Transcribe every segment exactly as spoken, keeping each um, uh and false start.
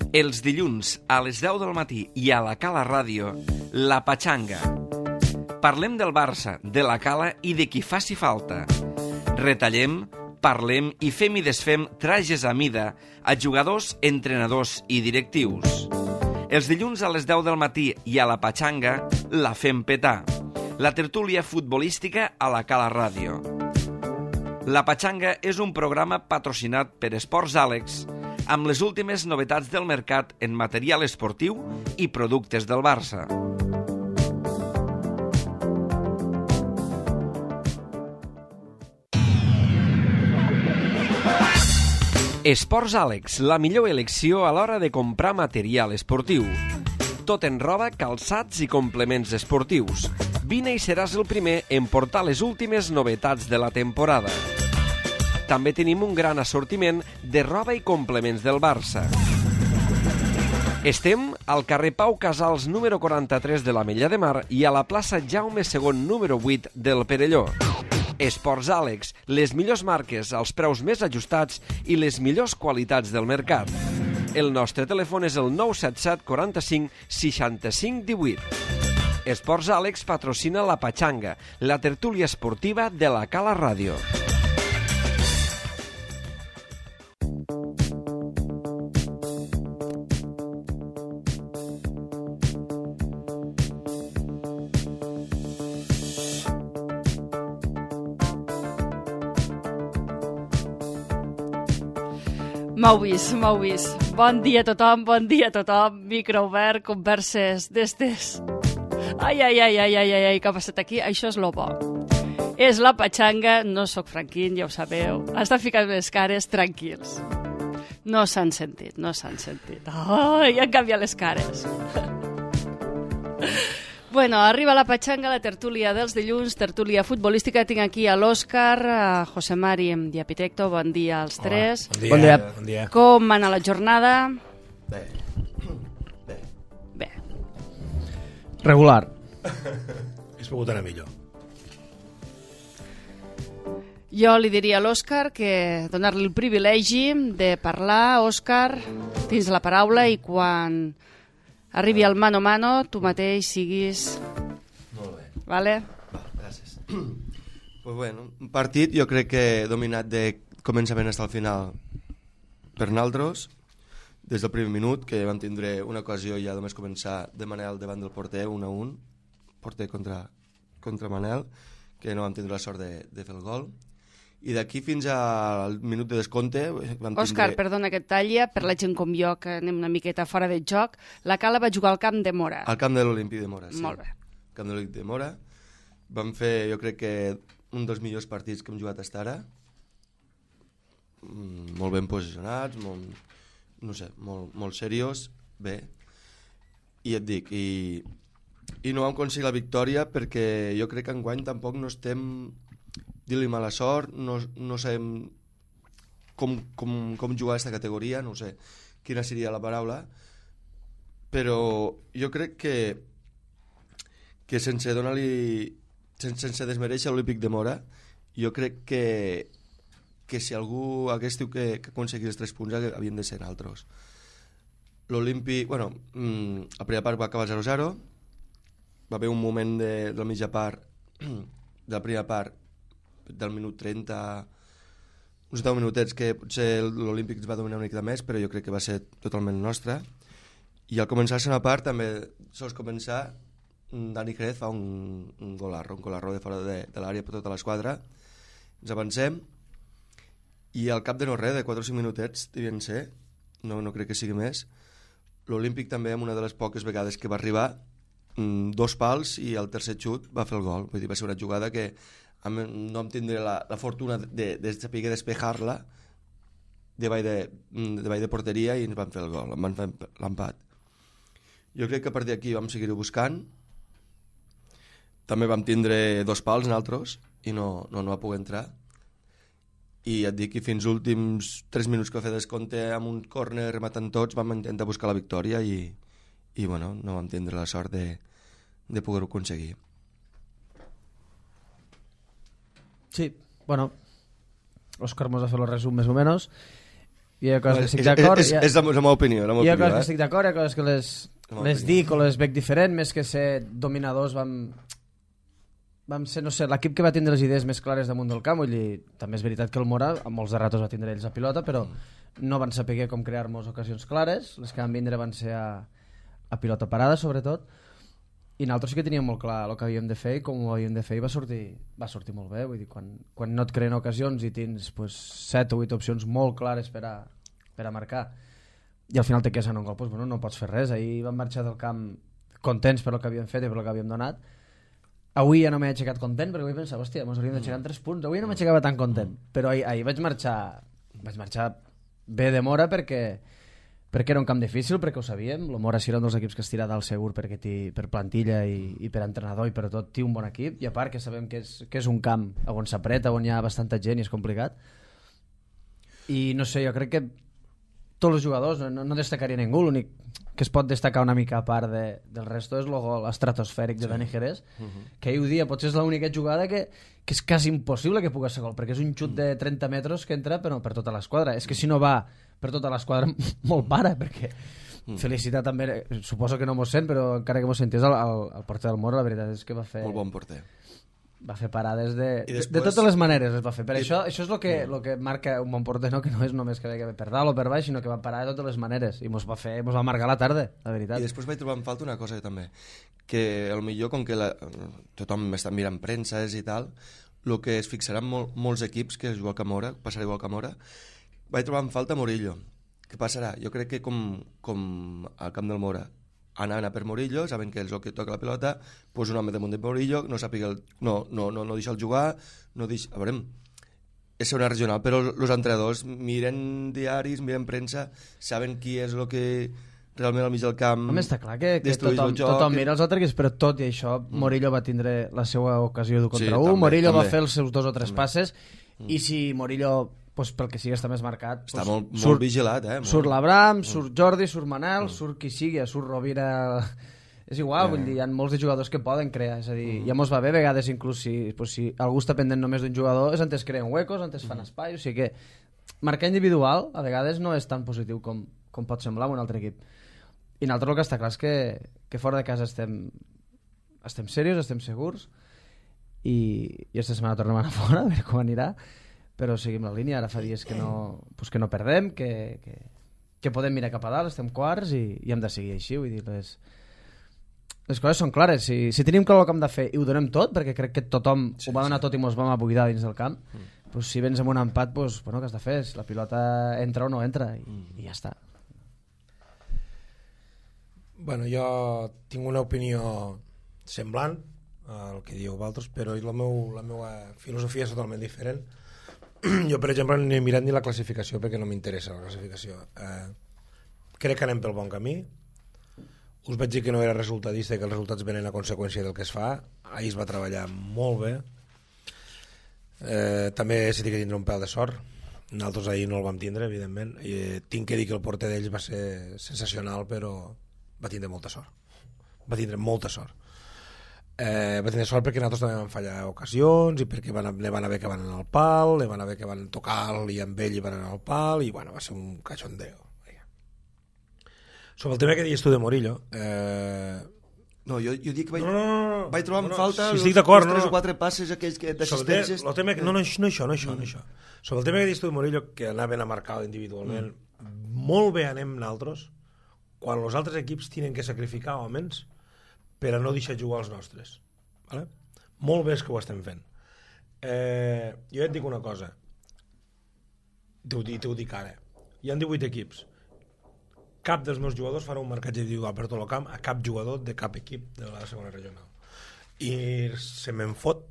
Els dilluns a les deu del matí i a la Cala Ràdio, La Patxanga. Parlem del Barça, de la Cala i de qui faci falta. Retallem, parlem i fem i desfem trajes a mida a jugadors, entrenadors i directius. Els dilluns a les deu del matí i a La Patxanga la fem petar. La tertúlia futbolística a la Cala Ràdio. La Patxanga és un programa patrocinat per Esports Àlex, amb les últimes novetats del mercat en material esportiu i productes del Barça. Esports Àlex, la millor elecció a l'hora de comprar material esportiu. Tot en roba, calçats i complements esportius. Vine i seràs el primer en portar les últimes novetats de la temporada. També tenim un gran assortiment de roba i complements del Barça. Estem al carrer Pau Casals número quaranta-tres de l'Ametlla de Mar i a la plaça Jaume segon número vuit del Perelló. Esports Àlex, les millors marques als preus més ajustats i les millors qualitats del mercat. El nostre telèfon és el nou set set quaranta-cinc seixanta-cinc divuit. Esports Àlex patrocina La Patxanga, la tertúlia esportiva de la Cala Ràdio. M'heu vist, m'heu vist. Bon dia a tothom, bon dia a tothom. Micro obert, converses d'estes. Ai, ai, ai, ai, ai, ai, què ha passat aquí? Això és lo bo. És La Patxanga, no sóc Franquín, ja ho sabeu. Està ficant les cares, tranquils. No s'han sentit, no s'han sentit. Ai, han canviat les cares. Bueno, arriba La Patxanga, la tertúlia dels dilluns, tertúlia futbolística. Tinc aquí a l'Òscar, a José Mari i Apitecto. Bon dia als tres. Hola, bon dia. Bon dia. Bon dia. Com anar la jornada? Bé. Bé. Bé. Regular. Hauria pogut anar millor. Jo li diria a l'Òscar que donar-li el privilegi de parlar. Òscar, tens la paraula i quan arribi al mano a mano, tu mateix siguis... Molt bé. Vale? Va, gràcies. Pues bueno, un partit jo crec que dominat de començament fins al final per naltros, des del primer minut, que vam tindre una ocasió ja només començar de Manel davant del porter, un a un, porter contra, contra Manel, que no vam tindre la sort de, de fer el gol. I d'aquí fins al minut de descompte vam tindre... Òscar, perdona que et talla, per la gent com jo, que anem una miqueta fora de joc, la Cala va jugar al camp de Mora. Al camp de l'Olímpic de Mora, sí. Molt bé. Al camp de l'Olímpic de Mora. Vam fer, jo crec que, un dels millors partits que hem jugat fins ara. Mm, molt ben posicionats, molt, no sé, molt, molt seriós, bé. I et dic, i, i no vam aconseguir la victòria perquè jo crec que enguany tampoc no estem... dir-li mala sort, no, no sabem com, com, com jugar a aquesta categoria, no sé quina seria la paraula, però jo crec que que sense donar-li sense, sense desmereixer l'Olímpic de Mora, jo crec que que si algú hagués diu que, que aconseguir els tres punts havien de ser altres. L'Olímpic, bueno, la primera part va acabar zero a zero, va haver un moment de, de la mitja part de la primera part del minut trenta, uns deu minutets que potser l'Olímpic ens va dominar una mica més, però jo crec que va ser totalment nostra. I al començar la segona part, també sols començar, Dani Jerez fa un, un golarro, un golarro de fora de, de l'àrea per tota l'esquadra. Ens avancem i al cap de no res, de quatre o cinc minutets, devien ser, no, no crec que sigui més, l'Olímpic també, amb una de les poques vegades que va arribar, dos pals i el tercer xut va fer el gol. Vull dir, va ser una jugada que no vam tindre la, la fortuna de, de saber despejar-la davall de, davall de porteria i ens van fer el gol, van fer l'empat. Jo crec que a partir d'aquí vam seguir-ho buscant. També vam tindre dos pals nosaltres i no, no, no va poder entrar. I et dic que fins als últims tres minuts que va fer descompte amb un córner rematant tots vam intentar buscar la victòria i, i bueno, no vam tindre la sort de, de poder-ho aconseguir. Sí, bueno, Òscar mos ha fet el resum més o menos hi ha coses que estic És, d'acord, és, hi ha, és la meva opinió, la meva hi ha opinió, coses que eh? estic d'acord, hi ha coses que les, La meva les opinió. dic o les veig diferent, més que ser dominadors vam, vam ser, no sé, l'equip que va tindre les idees més clares damunt del camp, vull dir, també és veritat que el Mora a molts de ratos va tindre ells a pilota, però no van saber com crear-nos ocasions clares, les que van vindre van ser a, a pilota parada sobretot, i nosaltres sí que teníem molt clar el que havíem de fer i com ho havíem de fer i va sortir, va sortir molt bé. Vull dir, quan, quan no et creen ocasions i tens pues, set o vuit opcions molt clares per a, per a marcar i al final te quedes en un gol, pues, bueno, no pots fer res. Ahir vam marxar del camp contents per el que havíem fet i per el que havíem donat. Avui ja no m'he aixecat content perquè avui pensava, hòstia, ens hauríem d'aixecar en tres punts. Avui no m'aixecava tan content, però ahir, ahir vaig marxar vaig marxar bé de Mora perquè perquè era un camp difícil, perquè ho sabíem. El Mora sí era un dels equips que es tira dalt segur perquè té, per plantilla i, i per entrenador i per tot té un bon equip, i a part que sabem que és, que és un camp on s'apreta, on hi ha bastanta gent i és complicat. I no sé, jo crec que tots els jugadors, no, no destacaria ningú, l'únic que es pot destacar una mica a part de, del resto és el gol estratosfèric de Dani Jerez, uh -huh. que ahir ho dia, potser és l'única jugada que, que és quasi impossible que pugui ser gol, perquè és un xut de trenta metres que entra però per tota l'esquadra. És que si no va per tota l'esquadra molt para, perquè mm. felicitar també, suposo que no mos sent, però encara que mos sentés el, el, el porter del Mora, la veritat és que va fer... Molt bon porter. Va fer parades de, després... de, de totes les maneres es va fer. Per I... això, això és el que, lo que marca un bon porter, no? Que no és només que ve per dalt o per baix, sinó que va parar de totes les maneres i mos va fer, mos va marcar la tarda, la veritat. I després vaig trobar en falta una cosa també, que el millor, com que la, tothom està mirant premses i tal, el que es fixaran mol, molts equips que es juga a Mora, passarà igual que a Mora, vaig trobar en falta Murillo. Què passarà? Jo crec que com, com al camp del Mora anaven a per Murillo, saben que és el que toca la pilota, pues un home damunt de Murillo, no sàpiga el, no, no, no, no deixa el jugar, no deixa... A veure, és una regional, però els entrenadors miren diaris, miren premsa, saben qui és el que realment al mig del camp... Home, està clar que, que tothom, joc, tothom que... mira els altres, però tot i això Murillo va tindre la seva ocasió d'un contra Sí, un, també, Murillo també. va fer els seus dos o tres També. passes, i si Murillo, pues, pel que sigui, està més marcat... Està pues, molt, surt, molt vigilat, eh? Molt. Surt l'Abram, surt Jordi, surt Manel, surt qui sigui, surt Rovira... És igual, Yeah. vull dir, hi ha molts de jugadors que poden crear, és a dir, ja mos va bé a vegades inclús si, pues, si algú està pendent només d'un jugador, és antes creen huecos, antes fan espai, o sigui que marcar individual a vegades no és tan positiu com, com pot semblar en un altre equip. I nosaltres el que està clar és que, que fora de casa estem estem serios, estem segurs, i, i esta setmana tornem a anar fora, a veure com anirà, però seguim la línia. Ara fa dies que no, pues que no perdem, que, que, que podem mirar cap a dalt, estem quarts i, i hem de seguir així, vull dir, les, les coses són clares. Si, si tenim clar el que hem de fer i ho donem tot, perquè crec que tothom sí, ho va donar sí. tot i mos vam abuidar dins del camp, mm. pues si vens amb un empat, pues, bueno, què has de fer? La pilota entra o no entra, i, mm. i ja està. Bueno, jo tinc una opinió semblant al que dieu vosaltres, però la, meu, la meva filosofia és totalment diferent. Jo, per exemple, no he mirat ni la classificació perquè no m'interessa la classificació. Eh, crec que anem pel bon camí. Us vaig dir que no era resultadista i que els resultats venen a conseqüència del que es fa. Ahir es va treballar molt bé. Eh, també s'ha de tindre un pèl de sort. Nosaltres ahir no el vam tindre, evidentment. I, eh, tinc que dir que el porter d'ells va ser sensacional, però va tindre molta sort. Va tindre molta sort. Eh, va tenir sort perquè nosaltres també vam fallar ocasions i perquè van, ne van haver que van anar al pal, ne van haver que van tocar i amb ell i van anar al pal, i bueno, va ser un cachondeo. Sobre el tema que deies tu de Murillo, eh... no, jo, jo dic que vaig, no, no, no, vaig trobar en no, no, falta si els, estic d'acord, els tres no, o quatre passes aquells que d'assistències. El tema que, no, no, no, això, no això, no això. Sobre el tema que deies tu de Murillo, que anaven a marcar individualment, mm. molt bé anem nosaltres quan els altres equips tenen que sacrificar homes per a no deixar jugar els nostres. Vale? Molt bé és que ho estem fent. Eh, jo et dic una cosa, t'ho dic, dic ara, hi ha divuit equips, cap dels meus jugadors farà un marcatge individual per tot el camp a cap jugador de cap equip de la segona regional, i se me'n fot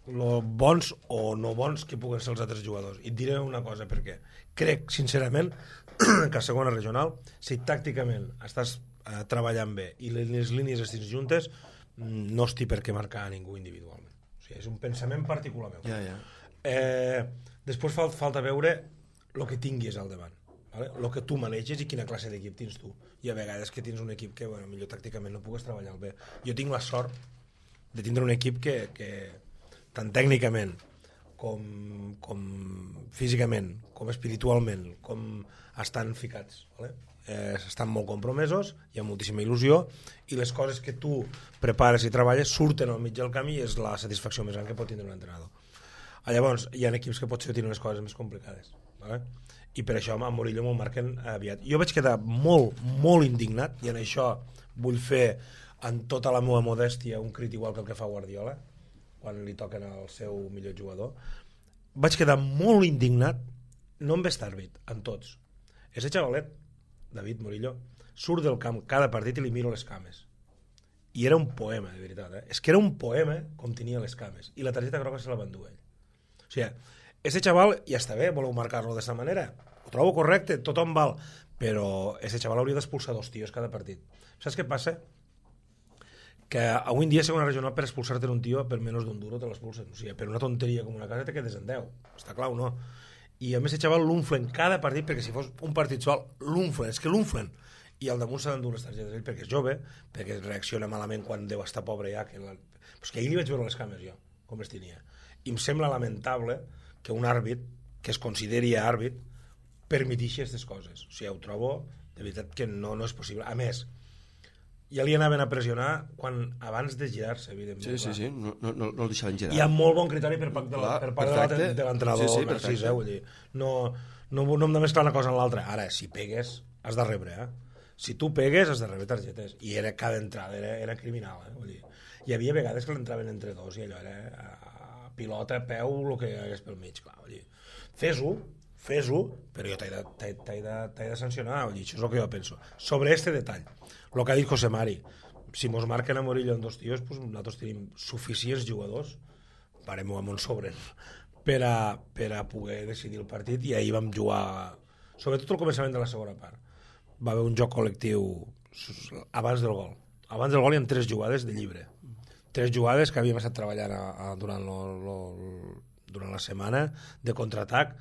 lo bons o no bons que puguen ser els altres jugadors. I et diré una cosa, perquè crec sincerament que a segona regional, si tàcticament estàs eh, treballant bé i les línies estan juntes, no estic per què marcar a ningú individualment. O sigui, és un pensament particular meu. Ja, ja. Eh, després fal, falta veure el que tinguis al davant, vale? El que tu maneges i quina classe d'equip tens tu. I a vegades que tens un equip que, bueno, millor tàcticament no pugues treballar bé. Jo tinc la sort de tindre un equip que, que tant tècnicament com, com físicament, com espiritualment, com estan ficats, vale? eh, estan molt compromesos, hi ha moltíssima il·lusió, i les coses que tu prepares i treballes surten al mig del camí i és la satisfacció més gran que pot tindre un entrenador. Llavors, hi ha equips que potser tenen les coses més complicades, vale? I per això a Murillo me'l marquen aviat. Jo vaig quedar molt, molt indignat, i en això vull fer en tota la meva modèstia un crit igual que el que fa Guardiola quan li toquen al seu millor jugador. Vaig quedar molt indignat, no amb Starbit, amb tots. Ese xavalet, David Murillo, surt del camp cada partit i li miro les cames. I era un poema, de veritat. Eh? És que era un poema com tenia les cames. I la targeta groga se la va endur ell. O sigui, ese xaval ja està bé, voleu marcar-lo d'aquesta manera. Ho trobo correcte, tothom val. Però ese xaval hauria d'expulsar dos tios cada partit. Saps què passa? Que avui en dia segona regional per expulsar-te un tio per menys d'un duro te l'expulsen. O sigui, per una tonteria com una casa te quedes en deu. Està clar o no? I a més el xaval l'unflen cada partit, perquè si fos un partit sol l'unflen, és que l'unflen. I al damunt s'ha d'endur les targetes ell perquè és jove, perquè reacciona malament quan deu estar pobre ja. Que la... Però és que ahir li vaig veure les cames jo, com les tenia. I em sembla lamentable que un àrbit que es consideri àrbit permetixi aquestes coses. O sigui, ho trobo de veritat que no, no és possible. A més, ja li anaven a pressionar quan, abans de girar-se, evidentment. Sí, sí, sí, no, no, no el deixaven girar. Hi ha molt bon criteri per part de, la, per part de, de l'entrenador sí, sí, Narcís, eh? Vull dir, no, no, no hem de mesclar una cosa amb l'altra. Ara, si pegues, has de rebre, eh? Si tu pegues, has de rebre targetes. I era cada entrada, era, era criminal, eh? Vull dir, hi havia vegades que l'entraven entre dos i allò era a pilota, a peu, el que hagués pel mig, clar. Vull dir, fes-ho, fes-ho, però jo t'he de, t'he, t'he de, t'he de sancionar, vull dir, això és el que jo penso. Sobre este detall, el que ha dit José Mari, si mos marquen a Murillo en dos tios, pues nosaltres tenim suficients jugadors, parem-ho amb un sobre, per a, per a poder decidir el partit, i ahir vam jugar, sobretot al començament de la segona part. Va haver un joc col·lectiu abans del gol. Abans del gol hi ha tres jugades de llibre. Tres jugades que havíem estat treballant a, a, durant, lo, lo, durant la setmana de contraatac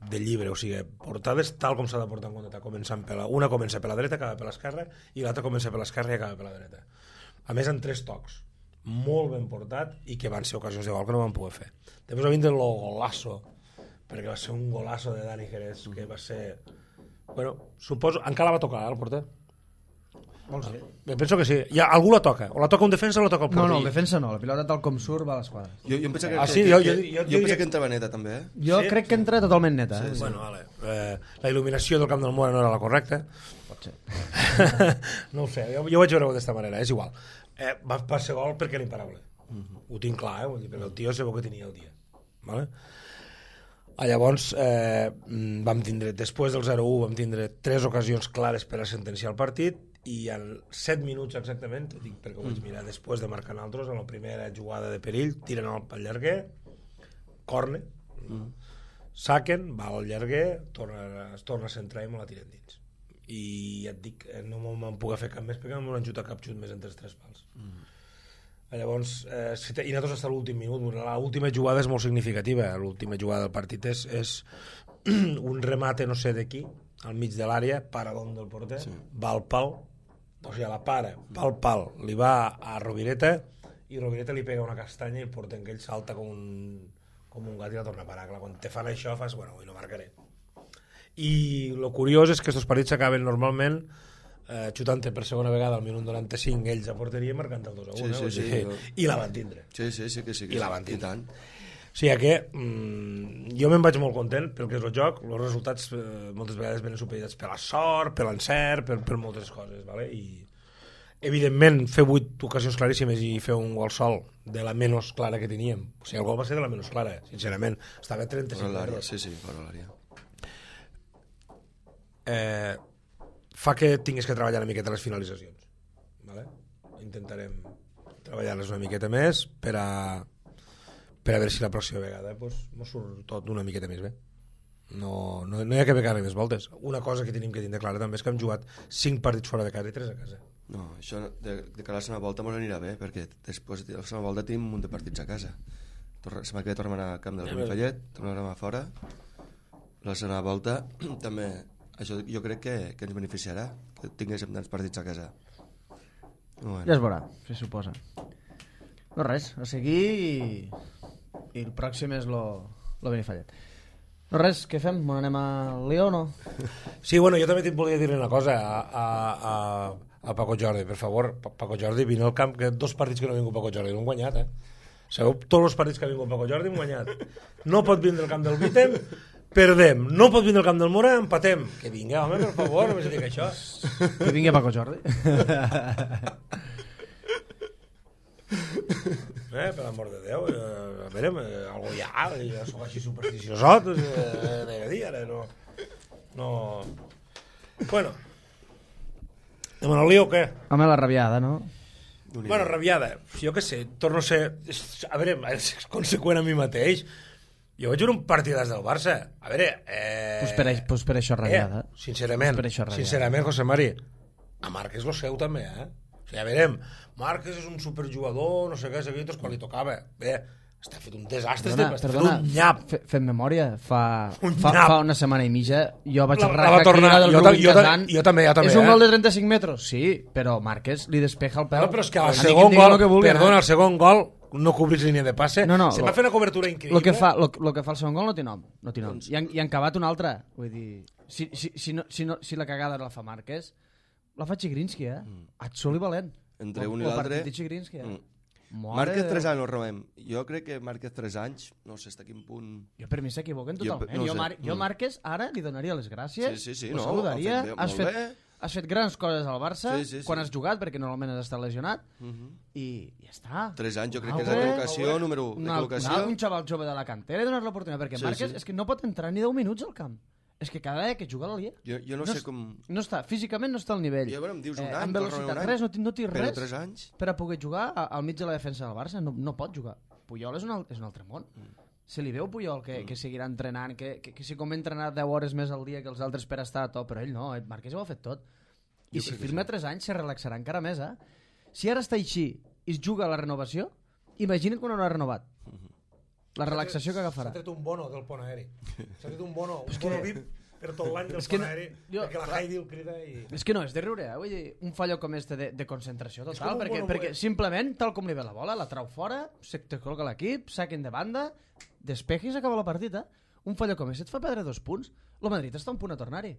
de llibre, o sigui, portades tal com s'ha de portar en contraatac, començant per la, una comença per la dreta, acaba per l'esquerra, i l'altra comença per l'esquerra i acaba per la dreta. A més, en tres tocs, molt ben portat, i que van ser ocasions de gol que no van poder fer. Després va vindre el golasso, perquè va ser un golasso de Dani Jerez, que va ser... Bueno, suposo... Encara la va tocar, eh, el porter? Vols dir? Penso que sí. Ja, algú la toca. O la toca un defensa o la toca el porter. No, no, el defensa no. La pilota tal com surt va a l'esquadra. Jo, jo em penso que, ah, sí, que, jo, que, jo, jo, jo, jo penso que entrava neta, també, eh? Jo sí? crec que entra totalment neta. Sí, Eh? sí. Bueno, vale. Eh, la il·luminació del Camp del Mora no era la correcta. Pot ser. No ho sé, jo, jo vaig veure-ho d'aquesta manera, és igual. Eh, va, va ser gol perquè era imparable. Uh-huh. Ho tinc clar, eh? Vull dir, perquè el tio sabeu que tenia el dia. Vale? Ah, llavors, eh, vam tindre, després del zero u, vam tindre tres ocasions clares per a sentenciar el partit, i en set minuts exactament, dic perquè ho vaig mirar després de marcar altres, en la primera jugada de perill, tiren al llarguer, corne, mm. saquen, va al llarguer, torna, es torna a centrar i me la tiren dins. I ja et dic, no me'n puc fer cap més perquè no m'han xutat cap xut més entre els tres pals. Mm. Llavors, eh, i nosaltres hasta l'últim minut, l'última jugada és molt significativa, l'última jugada del partit és, és un remate no sé de qui, al mig de l'àrea, paradón del porter, sí. Va al pal, o sigui, la para, va al pal, li va a Rovireta, i Rovireta li pega una castanya i el porter que ell salta com un, com un gat i la torna a parar. Clar, quan te fan això fas, bueno, avui no marcaré. I el curiós és que aquests partits s'acaben normalment eh, xutant-te per segona vegada al minut noranta-cinc ells a porteria marcant el dos a un, sí, sí, eh? sí, sí, i la van tindre. Sí, sí, sí que sí. Que I la sí, van tindre. I tant. O sigui que mm, jo me'n vaig molt content pel que és el joc, els resultats eh, moltes vegades venen supeditats per la sort, per l'encert, per, per moltes coses, vale? I evidentment fer vuit ocasions claríssimes i fer un gol sol de la menys clara que teníem, o sigui, el gol va ser de la menys clara, sincerament, estava a trenta-cinc metres. Sí, sí, fora l'àrea. Eh, fa que tinguis que treballar una miqueta les finalitzacions, vale? Intentarem treballar-les una miqueta més per a per a veure si la pròxima vegada pues, mos surt tot una miqueta més bé. No, no, no hi ha que pegar-li més voltes. Una cosa que tenim que tindre clara també és que hem jugat cinc partits fora de casa i tres a casa. No, això de, de cara a la segona volta mos anirà bé, perquè després de la segona volta tenim un munt de partits a casa. La setmana que ve tornem a Camp del Benifallet, tornem a fora. La segona volta també, això jo crec que, que ens beneficiarà, que tinguéssim tants partits a casa. Bueno. Ja es veurà, se suposa. No res, a seguir i, i el pròxim és lo, lo Benifallet. No res, què fem? Bueno, anem al Lió o no? Sí, bueno, jo també t'hi volia dir una cosa a, a, a, a Paco Jordi, per favor, Paco Jordi, vine al camp, que dos partits que no ha vingut Paco Jordi, no han guanyat, eh? Sabeu, tots els partits que ha vingut Paco Jordi han guanyat. No pot vindre al camp del Vitem, perdem. No pot vindre al camp del Mora, empatem. Que vinga, home, per favor, només dic això. Que vingui Paco Jordi. Eh, per l'amor de Déu, eh, a veure, eh, algú hi ha, jo soc així supersticiosot, eh, de dir, ara, no... no... Bueno, anem al lío o què? Home, la rabiada, no? Bueno, rabiada, jo què sé, torno a ser... A veure, és conseqüent a mi mateix. Jo vaig veure un partidàs del Barça. A veure... Eh... Pues per, pues per això rabiada. Eh, sincerament, pues per això rabiada. sincerament, José Mari, a Marc és lo seu també, eh? O sigui, a veure, Marc és un superjugador, no sé què, sé quan li tocava. Bé, està fet un desastre, perdona, està perdona, fet un nyap. Fe, fem memòria, fa, Un fa, nyap. fa una setmana i mitja jo vaig La- la arrencar va tornar, aquella del jo ta- Rubin jo ta- Kazan. jo també, jo també, És un eh? gol de trenta-cinc metres? Sí, però Márquez li despeja el peu. No, però és que al Diguin- segon diguin gol, lo que vulguin, perdona, eh? al segon gol no cobrís línia de passe. No, no, Se lo- va fer una cobertura increïble. Lo que, fa, lo, lo que fa el segon gol no té nom. No té nom. I, han, I han acabat un altre. Vull dir, si, si, si, no, si, no, si la cagada la fa Márquez, la fa Chigrinsky, eh? Mm. Atzol i valent. Entre El- un i el l'altre... partit de Chigrinsky, eh? Mm. Mare Márquez de tres Déu. anys, no robem. Jo crec que Márquez tres anys, no sé fins a quin punt... Jo per mi s'equivoquen Jo totalment. no Jo, sé. Mar jo Mm. Márquez ara li donaria les gràcies, Sí, sí, sí, ho no, saludaria, ha fet bé, has, molt fet, bé. has fet grans coses al Barça Sí, sí, sí. quan has jugat, perquè normalment has estat lesionat, Mhm. i ja està. Tres anys, jo crec Ah, que és la bé. col·locació, número de Una, col·locació. una, un xaval jove de la cantera i donar l'oportunitat, perquè Sí, Márquez sí. és que no pot entrar ni deu minuts al camp. És que cada vegada que juga a la Liga Jo, jo no, no sé és- com... no està, físicament no està al nivell. Ja, bueno, em dius un eh, any, amb torna velocitat, un any, res, no, ti- no té però res tres anys... per a poder jugar a- al mig de la defensa del Barça, no, no pot jugar. Puyol és un, al- és un altre món. Se li veu Puyol que, que seguirà entrenant, que, que, que si com ha entrenat deu hores més al dia que els altres per estar a top, però ell no, ell, Márquez ho ha fet tot. I Jo si crec que firma sí. tres anys se relaxarà encara més, eh? Si ara està així i es juga a la renovació, imagina't quan no ha renovat. La relaxació que agafarà. S'ha tret un bono del pont aeri. S'ha tret un bono, un bono V I P per tot l'any del És que pont no- aeri, jo- perquè la Heidi el crida i... És que no, és de riure, eh? Vull dir, un fallo com este de, de concentració És total, com un perquè, bono perquè buet. simplement, tal com li ve la bola, la trau fora, se te col·loca l'equip, saquen de banda, despeja i s'acaba la partida. Un fallo com aquest et fa perdre dos punts. El Madrid està a un punt a tornar-hi.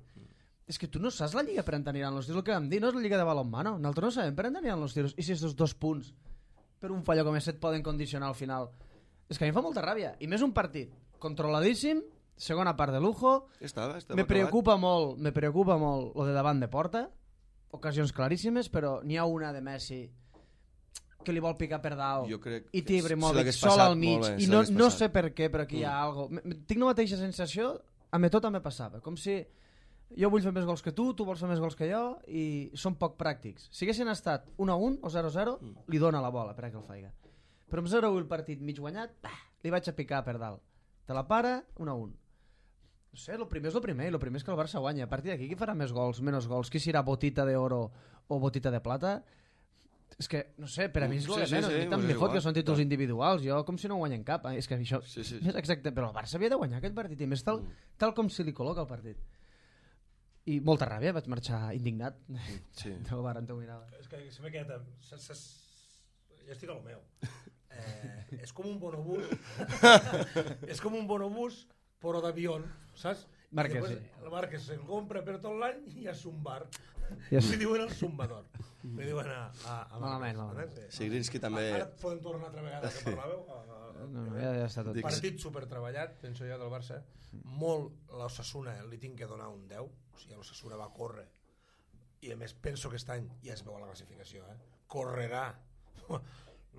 És que tu no saps la lliga per on aniran els tiros, el que vam dir, no és la lliga de balonmano. Nosaltres no sabem per on aniran els tiros. I si aquests dos punts per un fallo com aquest et poden condicionar al final? És que a mi em fa molta ràbia. I més un partit controladíssim, segona part de lujo. Estava, estava Me acabat. preocupa molt, me preocupa molt lo de davant de porta, ocasions claríssimes, però n'hi ha una de Messi que li vol picar per dalt Jo crec i que té si Ibrahimovic l'hagués sol passat, al mig molt bé, i si no, l'hagués no passat. sé per què, però aquí hi ha Mm. algo. M- m- Tinc la mateixa sensació, a mi tot me passava, com si jo vull fer més gols que tu, tu vols fer més gols que jo i són poc pràctics. Si haguessin estat un a un o zero a zero, Mm. li dona la bola per a que el faiga. Però amb zero a un el partit mig guanyat, bah, li vaig a picar per dalt. Te la para, un a un. No sé, el primer és el primer, i el primer és que el Barça guanya. A partir d'aquí, qui farà més gols, menys gols? Qui serà botita d'oro o botita de plata? És que, no sé, per a mi és Sí, el de sí, menys. sí, a mi tant pues me és fot que igual. són títols Clar. individuals. Jo, com si no guanyen cap. eh? És que això Sí, sí. és exacte. Però el Barça havia de guanyar aquest partit, i més tal, tal com se li col·loca el partit. I molta ràbia, vaig marxar indignat. Sí. No, varen teu mirada. És que se m'ha quedat... se- se- Jo estic a lo meu. Eh, és com un bonobús. és com un bonobús, però d'avió, saps? Márquez, I després, sí. El Márquez se'n compra per tot l'any i és un bar. Ja sí. Li diuen el zumbador. Li diuen a, a, a Malament, Márquez, malament. eh? Sigrinski també... Ara podem tornar altra vegada que parlàveu. A, a, No, no, ja, ja està tot. Dic- Partit supertreballat, penso jo, del Barça. Molt l'Osasuna li tinc que donar un deu. O sigui, l'Osasuna va córrer. I a més penso que aquest any ja es veu a la classificació, eh? Correrà.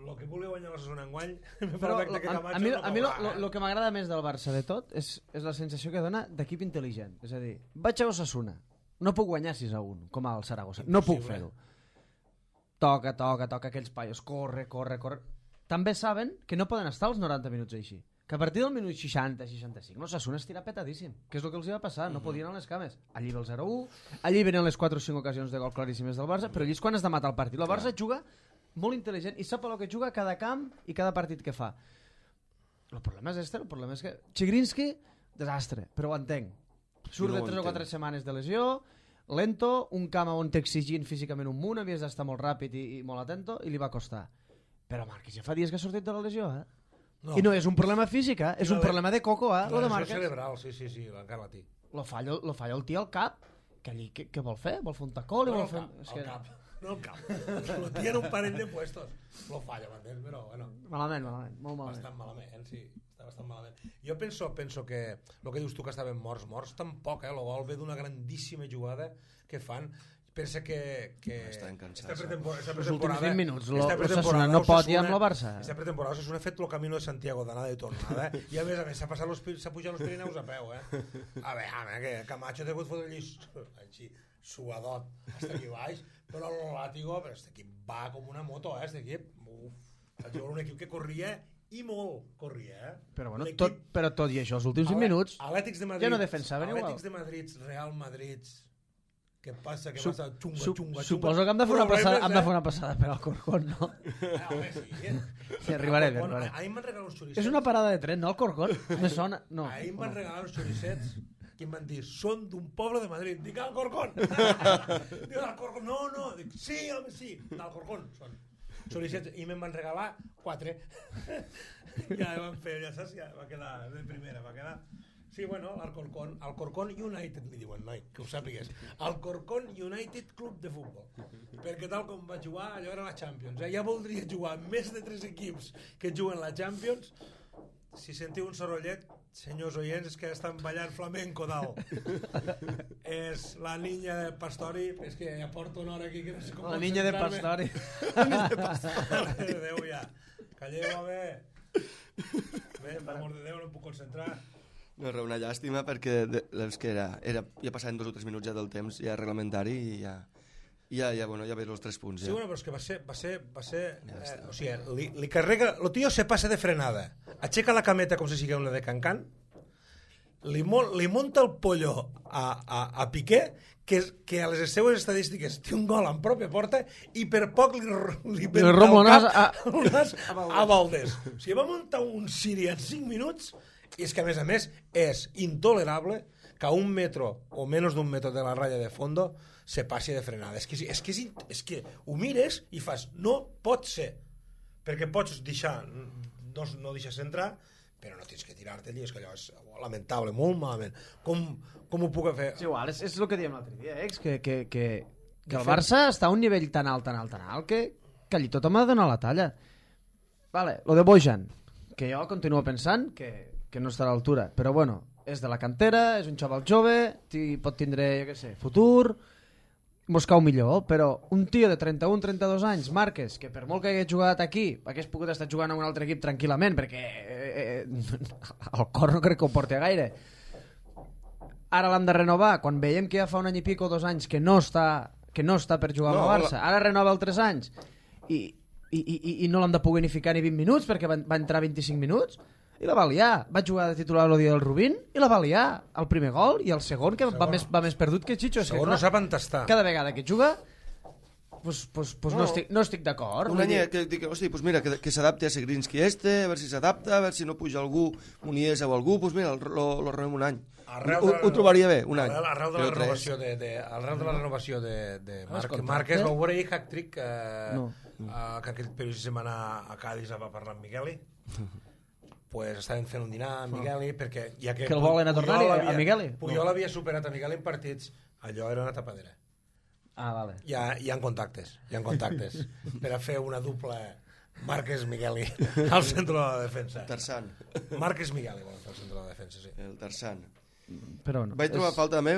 El que vulgui guanyar l'Osasuna enguany, me Però fa lo, que a, Camacho a mi, no a mi lo, caurà, lo, lo que m'agrada més del Barça de tot és, és la sensació que dona d'equip intel·ligent. És a dir, vaig a Osasuna, no puc guanyar sis a un, com al Saragossa. No puc Impossible. fer-ho. Toca, toca, toca aquells paios, corre, corre, corre. També saben que no poden estar els noranta minuts així. Que a partir del minut seixanta seixanta-cinc l'Osasuna estirà petadíssim, que és el que els hi va passar, no podien anar les cames. Allí ve el zero a u, allí venen les quatre o cinc ocasions de gol claríssimes del Barça, però allí és quan has de matar el partit. El Barça juga molt intel·ligent i sap el que juga cada camp i cada partit que fa. El problema és este, el problema és que Chigrinsky, desastre, però ho entenc. Surt No de ho tres o quatre entenc. setmanes de lesió, lento, un camp on t'exigint físicament un munt, havies d'estar molt ràpid i, i molt atento, i li va costar. Però Márquez ja fa dies que ha sortit de la lesió, eh? No. I no és un problema físic, eh? és no, un problema de coco, eh? La Lo de lesió Márquez. cerebral, sí, sí, sí, encara la té. Lo falla, lo falla el tio al cap, que allí, què, què vol fer? Vol fer un tacó? Li No, vol al fer... cap, És al que... cap. No al cap. Lo tien un parell de puestos. Lo falla, m'entens? Però, bueno, Malament, malament, molt malament. bastant malament, sí. Està bastant malament. Jo penso, penso que el que dius tu que estaven morts, morts tampoc, eh? El gol ve d'una grandíssima jugada que fan. Pensa que... que Estan cansats. Esta pretemporada, esta Els últims pretemporada, vint minuts, lo- esta lo pretemporada Osasuna no pot Osasuna- ir amb la Barça. Esta pretemporada Osasuna ha fet el camino de Santiago d'anada i tornada, eh? I a més a més s'ha passat los, Pi- s'ha pujat els Pirineus a peu, eh? A veure, a veure, que Camacho t'ha hagut fotre allí així, suadot, hasta aquí baix, però el Látigo, però este equip va com una moto, eh? Este equip, uf, vaig veure un equip que corria i molt corria, eh? Però, bueno, L'equip- tot, però tot i això, els últims vint Ale- minuts... Atlètics de Madrid, ja no defensaven igual. Atlètics de Madrid, Real Madrid, què passa, què Sup- passa, xunga, Sup- xunga, xunga. Suposo que hem de fer una Problemes, passada, hem de eh? fer una passada per Alcorcón, no? Ah, home, sí. Sí, arribarem, Bueno, arribarem. ahir em van regalar uns xoricets. És una parada de tren, no, Alcorcón? Me sona... No. Ahir em van regalar uns xoricets que em van dir, són d'un poble de Madrid. Dic, Alcorcón! Dic, Alcorcón, no, no. Dic, sí, home, sí, d'Alcorcón són. Xoricets, i me'n van regalar quatre. Ja van fer, ja saps, ja va quedar de primera, va quedar... Sí, bueno, l'Alcorcón, Alcorcón United, li diuen, noi, que ho sàpigues. Alcorcón United Club de Futbol. Perquè tal com va jugar, allò era la Champions. Eh? Ja voldria jugar amb més de tres equips que juguen la Champions. Si sentiu un sorollet, senyors oients, és que estan ballant flamenco dalt. És la niña de Pastori, és que ja porto una hora aquí que no sé com La niña de concentrar-me. Pastori. La niña de Pastori. Adéu ja. Calleu, home. Bé, per amor de Déu, no em puc concentrar. No, era una llàstima perquè de, és que era, era, ja passaven dos o tres minuts ja del temps ja reglamentari i ja, ja, ja, bueno, ja veus els tres punts. Sí, Ja. bueno, però és que va ser... Va ser, va ser Ja eh, està. o sigui, li, li carrega... El tio se passa de frenada. Aixeca la cameta com si sigui una de Cancan. Li, mo, li monta el pollo a, a, a Piqué, que, és- que a les seues estadístiques té un gol en pròpia porta i per poc li, li, Li rompo el nas a- el nas a Valdés. O sigui, va muntar un Siri en cinc minuts i és que, a més a més, és intolerable que a un metro o menys d'un metro de la ratlla de fondo se passi de frenada. És que, és, és, que, és, in- és que ho mires i fas, no pot ser. Perquè pots deixar, no, no deixes entrar, però no tens que tirar-te allí, és que allò és lamentable, molt malament. Com, com ho puc fer? És igual, és, és el que diem l'altre dia, eh? que, que, que, que el fet- Barça està a un nivell tan alt, tan alt, tan alt, que, que allí tothom ha de donar la talla. Vale, lo de Bojan, que jo continuo pensant que, que no està a l'altura, però bueno, és de la cantera, és un xaval jove, ti- pot tindre, jo què sé, futur, mos cau millor, però un tio de trenta-un trenta-dos anys, Márquez, que per molt que hagués jugat aquí, hagués pogut estar jugant a un altre equip tranquil·lament, perquè eh, eh, el cor no crec que ho porti gaire. Ara l'han de renovar, quan veiem que ja fa un any i pico, dos anys, que no està, que no està per jugar amb No, el Barça, ara renova el tres anys, i, i, i, i no l'han de poder ni ficar ni vint minuts, perquè va, va entrar vint-i-cinc minuts, i la va liar. Va jugar de titular el dia del Rubín i la va liar. El primer gol i el segon, que va més, va més perdut que Chicho. És que, Segon clar, no sap entestar. cada vegada que juga pues, pues, pues no. No. no estic, no estic d'acord. Un Vull any dir, que dic, hosti, pues mira, que, que s'adapti a Segrinski este, a veure si s'adapta, a veure si no puja algú, Muniesa o algú, pues mira, lo, lo renovem un any. Arrel Ho, de la- ho trobaria bé, un any. Arrel, arrel de la Però tres. renovació de, de, arrel de la renovació de, de Marc, contracte? Márquez, vau veure ahir Hack-Trick eh, No. eh, que aquell periodista se'n va anar a Cádiz a parlar amb Migueli. Pues estaven fent un dinar amb Migueli perquè ja que, Que el volen a tornar-hi, Puyol a havia- Migueli? Puyol havia superat a Migueli en partits, allò era una tapadera. Ah, vale. Hi ha, hi ha contactes, hi ha contactes per a fer una dupla Márquez-Migueli al centre de la defensa. Tarzan, Márquez-Migueli vol fer al centre de la defensa, sí. el Tarzan. Però no. Vaig trobar és... falta també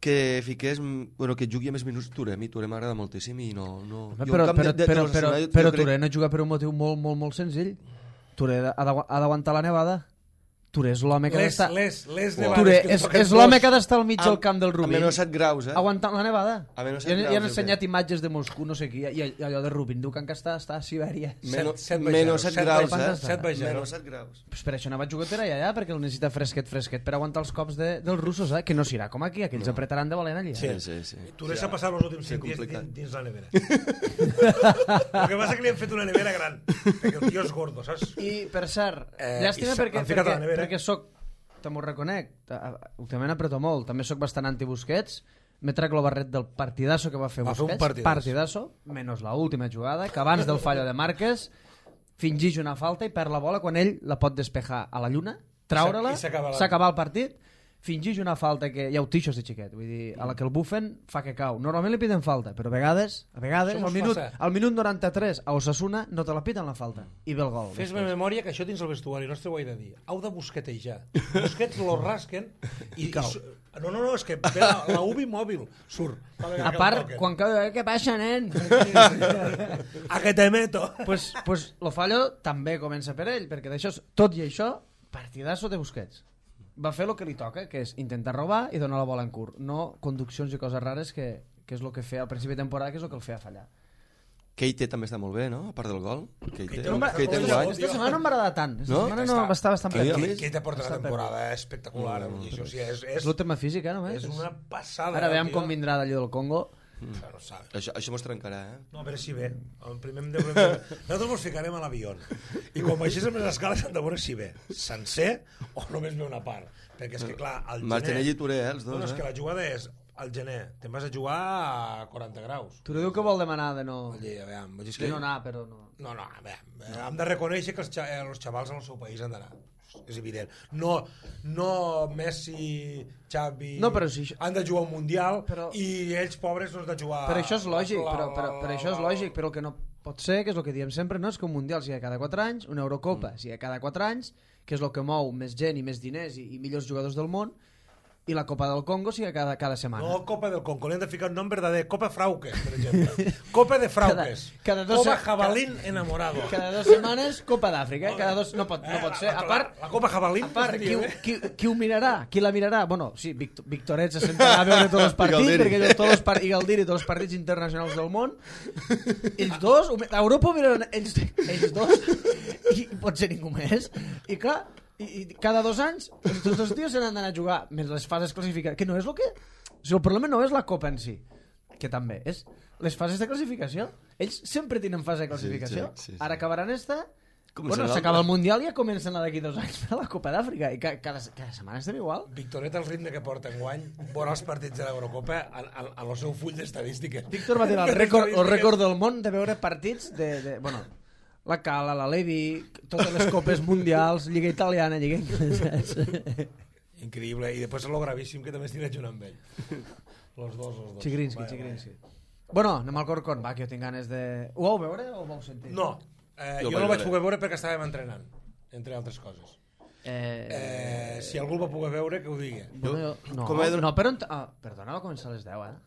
que fiqués, bueno, que jugui a més minuts Touré. A mi Touré m'agrada moltíssim i no... no... Però, Jo, però, en camp però, de- de- però, de però, l'Osasuna, jo- però jo crec- Touré no juga per un motiu molt, molt, molt senzill. Touré ha d'agu- ha d'aguantar la nevada. Touré és l'home que ha Les, d'estar... les, les Uau. nevades Touré que és, toquen és l'home dos. que ha d'estar al mig del A- camp del A Rubín. menys set graus, eh? Aguantant la nevada. A menys I, set i han graus, ensenyat eh? imatges de Moscou, no sé qui, i, i allò de Rubín diu que encara està, està a Sibèria. Menys set baix menys zero, set set graus, baix eh? zero. Set baix zero. Menys set graus. Pues per això no va jugar allà, ja, perquè el necessita fresquet, fresquet, per aguantar els cops de, dels russos, eh? Que no serà com aquí, aquells no. apretaran de valent allà. Sí. Sí, sí, sí. Touré s'ha passat els últims sí, cinc dies complicat. dins, dins la nevera. El que passa que li han fet una nevera gran, perquè el tio és gordo, saps? I, per cert, Eh, llàstima i s'ha- perquè, l'han ficat a perquè, la nevera. perquè soc, te m'ho reconec, ta- últimament apreto molt, també sóc bastant anti-Busquets, m'he trec el barret del partidasso que va fer Va fer un Busquets, partidasso. partidasso, menys la última jugada, que abans del fallo de Márquez, fingeix una falta i perd la bola quan ell la pot despejar a la lluna, traure-la, I s'acaba la- s'acaba el partit, fingeix una falta que hi ha utixos de xiquet, vull dir, a la que el bufen fa que cau. Normalment li piden falta, però a vegades, a vegades, Això al mos minut, passa. al minut noranta-tres a Osasuna no te la piten la falta i ve el gol. Fes-me memòria que això dins el vestuari nostre ho he de dir. Heu de busquetejar. Busquets lo rasquen i... i su- no, no, no, és que ve la, la U B I mòbil surt. A part, quan cau, eh, què passa, nen? A que te meto. pues, pues lo fallo també comença per ell, perquè d'això, tot i això, partidazo de Busquets. Va fer el que li toca, que és intentar robar i donar la bola en curt, no conduccions i coses rares que, que és el que feia al principi de temporada, que és el que el feia fallar. Keite també està molt bé, no? A part del gol. Keite, Keite Keite, no m'ha- Keite Esta- enguany. Aquesta setmana no m'agrada tant. Aquesta No? setmana no, Està- va estar bastant A mi- a perdut. mi- Qui te porta una Està temporada espectacular. Mm, això sí, és, és, És el tema físic, eh, només? és una passada. Ara veiem tio. com vindrà d'allò del Congo. Això no sabe. Això, això mos trencarà, eh? No, a veure si ve. El primer hem de... Nosaltres ens ficarem a l'avió. I com baixés amb les escales hem de veure si ve. Sencer o només ve una part. Perquè és que, clar, al gener... Martinelli i Touré, eh, els dos, No, no, és eh? que la jugada és al gener. Te'n vas a jugar a quaranta graus. Tu diu que vol demanar de no... Oye, a veure, vull dir, és De que... no anar, però no... No, no, a veure, hem de reconèixer que els, xa- eh, els xavals en el seu país han d'anar. És evident. No, no Messi, Xavi... No, però sí, això- han de jugar un Mundial Però- i ells, pobres, no han de jugar... Però això és lògic, la- però, però, la- però això és la- lògic, però el que no pot ser, que és el que diem sempre, no és que un Mundial sigui cada quatre anys, una Eurocopa sigui cada quatre anys, que és el que mou més gent i més diners i, i millors jugadors del món, i la Copa del Congo sigui cada, cada setmana. No, Copa del Congo, li han de ficar un nom verdader. Copa Frauques, per exemple. Copa de Frauques. Cada- cada dos Copa se- Jabalín enamorado. Cada dues setmanes Copa d'Àfrica, eh? Cada dos... No pot, no pot ser. A part, La, la Copa Jabalín... a part qui, seria ho- bé. qui, qui ho mirarà? Qui la mirarà? Bueno, sí, Vict Victorets se sentarà a veure tots els partits, Galdiri. perquè ell, tots els par i Galdiri, tots els partits internacionals del món. Ells dos, ho mi- a Europa ho miraran ells, ells dos, i pot ser ningú més. I clar, i, i cada dos anys, tots els tios se n'han d'anar a jugar, més les fases classificades, que no és el que... O sigui, el problema no és la Copa en si, que també, és les fases de classificació. Ells sempre tenen fase de classificació. Sí, sí, sí, sí. Ara acabaran esta... Començarà Bueno, l'altra. s'acaba el Mundial i ja comencen a d'aquí dos anys per la Copa d'Àfrica. I ca cada, cada setmana estem igual. Victoret, el ritme que porta enguany, veurà els partits de l'Eurocopa al seu full d'estadístiques. Víctor va tenir el rècord, el rècord del món de veure partits de... de bueno, la Cala, la Levi, totes les copes mundials, Lliga Italiana, Lliga Inglesa... Increïble. I després lo gravíssim que també estic junt amb ell. Los dos, los dos. Chigrinsky, Vaya, Chigrinsky. Bueno, anem al Corcón, va, que jo tinc ganes de... Ho vau veure o ho vau sentir? No, eh, Jo jo vaig no el vaig veure. poder veure perquè estàvem entrenant, entre altres coses. Eh... Eh, si algú el va poder veure, que ho digui. Bueno, jo, no, com he de- no, però... Ah, perdona, va començar a les deu, eh?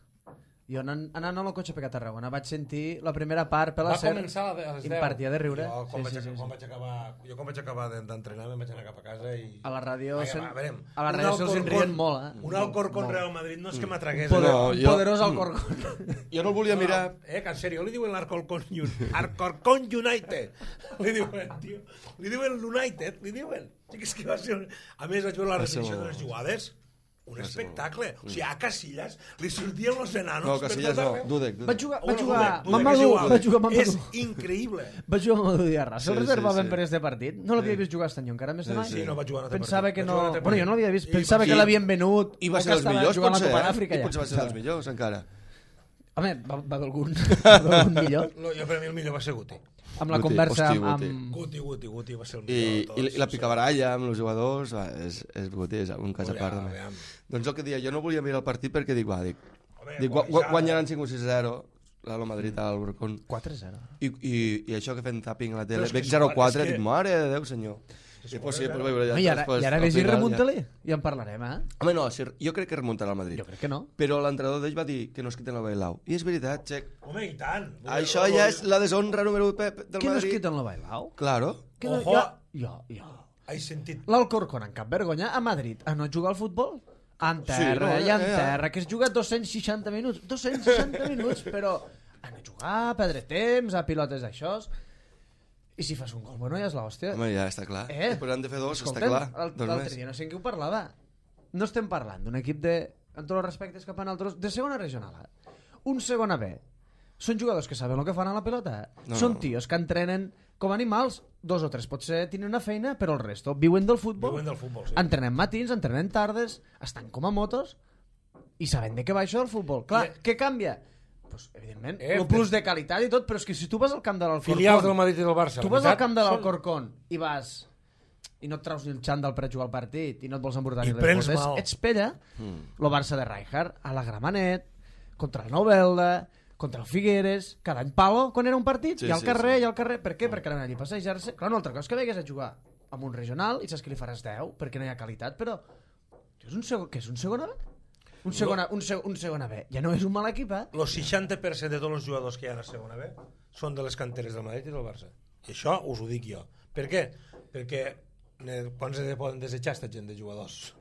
Jo anant, anant al cotxe per a Tarragona vaig sentir la primera part per la Va ser... començar a les deu. Impartia de riure. Jo, quan, Sí, vaig, sí, sí, quan sí. vaig acabar, jo quan vaig acabar de- d'entrenar me'n vaig anar cap a casa i... A la ràdio Vaja, se'n- va, a veure, a la un ràdio se'ls en Alcorcón- rien molt, eh? Un Alcorcón Molt. Real Madrid no és que m'atragués. Poder, allò. No, un jo- poderós Alcorcón. Jo no el volia mirar... Eh, que en sèrio, li diuen l'Alcorcón Un- Alcorcón United. Li diuen, tio. Li diuen l'United, li diuen. Sí que és que va ser... Un... A més, vaig veure la Va ser repetició molt- de les jugades. Un Va ser espectacle. O sigui, a Casillas li sortien los enanos. No, per Casillas tot no, arreu. Dudek. Va jugar, va Bueno, jugar Dudek, Dudek Mamadou, és igual. va jugar És Mamadou. increïble. Va jugar Mamadou Diarra. Se'l Sí, reservaven sí, sí. per este partit. No l'havia vist jugar este any encara més de Sí, mai. Sí, no va jugar en altre Pensava partit. que Va no... jugar en altre Bueno, jo partit. no l'havia vist. I Pensava va- que i- l'havien venut. I va o ser que dels estava millors, jugant a la potser, Copa eh? d'Àfrica I ja. potser va ser dels millors, encara. Home, va, va d'algun va d'algun millor. No, jo per mi el millor va ser Guti. Amb la Guti, conversa hosti, amb... Guti. amb... Guti, Guti, Guti va ser el I, millor de i, tots. i la picabaralla amb els jugadors va, és, és Guti, és un cas a part. Aviam, també. aviam. Doncs el que dia, jo no volia mirar el partit perquè dic, va, dic, Home, dic gua- guanyar- guanyaran cinc o sis a zero l'Alo Madrid al Alcorcón. quatre a zero. I, i, i això que fem tapping a la Però tele, és que veig si zero quan- quatre, és que- dic, mare de Déu, senyor. I pues sí, pues veure ja No, I ara, després, i ara al vés i final, ja. remunta-li. I en parlarem, eh? Home, no, si, jo crec que remuntarà el Madrid. Jo crec que no. Però l'entrenador d'ells va dir que no es quiten la Bailau. I és veritat, Xec. Home, i tant. Això ja és la deshonra número u del Què no es Madrid. quiten la Bailau? Claro. Que no, Ojo. ja, ja, ja. He sentit... L'Alcorcón, en cap vergonya, a Madrid, a no jugar al futbol? En terra, no, i en ja, ja. terra, que es juga dos-cents seixanta minuts. dos-cents seixanta minuts, però a no jugar, a perdre temps, a pilotes d'això... I si fas un gol, bueno, ja és l'hòstia. Home, ja està clar. Eh? I pues han de fer dos, Escolta'm, està clar. l'al- Dos L'altre més. dia no sé en què ho parlava. No estem parlant d'un equip de, amb tots els respectes cap a nosaltres, de segona regional. eh? Un segona B. Són jugadors que saben el que fan a la pelota. No, Són no. tios que entrenen com animals, dos o tres potser tenen una feina, però el resto viuen del futbol. Viuen del futbol, sí. Entrenen matins, entrenen tardes, estan com a motos i saben de què va això del futbol. Clar, I- què canvia? pues, evidentment, Eh, el plus de qualitat i tot, però és que si tu vas al camp de l'Alcorcón... Filials del Madrid i del Barça. Tu la vas al veritat, camp de són- l'Alcorcón i vas i no et traus ni el xandall per jugar al partit i no et vols embordar I ni les prens botes, mal. ets pella, Mm. el Barça de Rijkaard, a la Gramenet, contra el Novelda, contra el Figueres, cada any palo, quan era un partit, Sí, i al sí, carrer, sí. i al carrer. Per què? Perquè anaven allí a passejar-se. Clar, una altra cosa és que vegues a jugar amb un regional i saps que li faràs deu, perquè no hi ha qualitat, però... Tio, és un segon... Què és un segon A? Un segon A, un, seg un segon A B. Ja no és un mal equip, eh? El seixanta per cent de tots els jugadors que hi ha a la segona B són de les canteres del Madrid i del Barça. I això us ho dic jo. Per què? Perquè eh, quants de poden desitjar aquesta gent de jugadors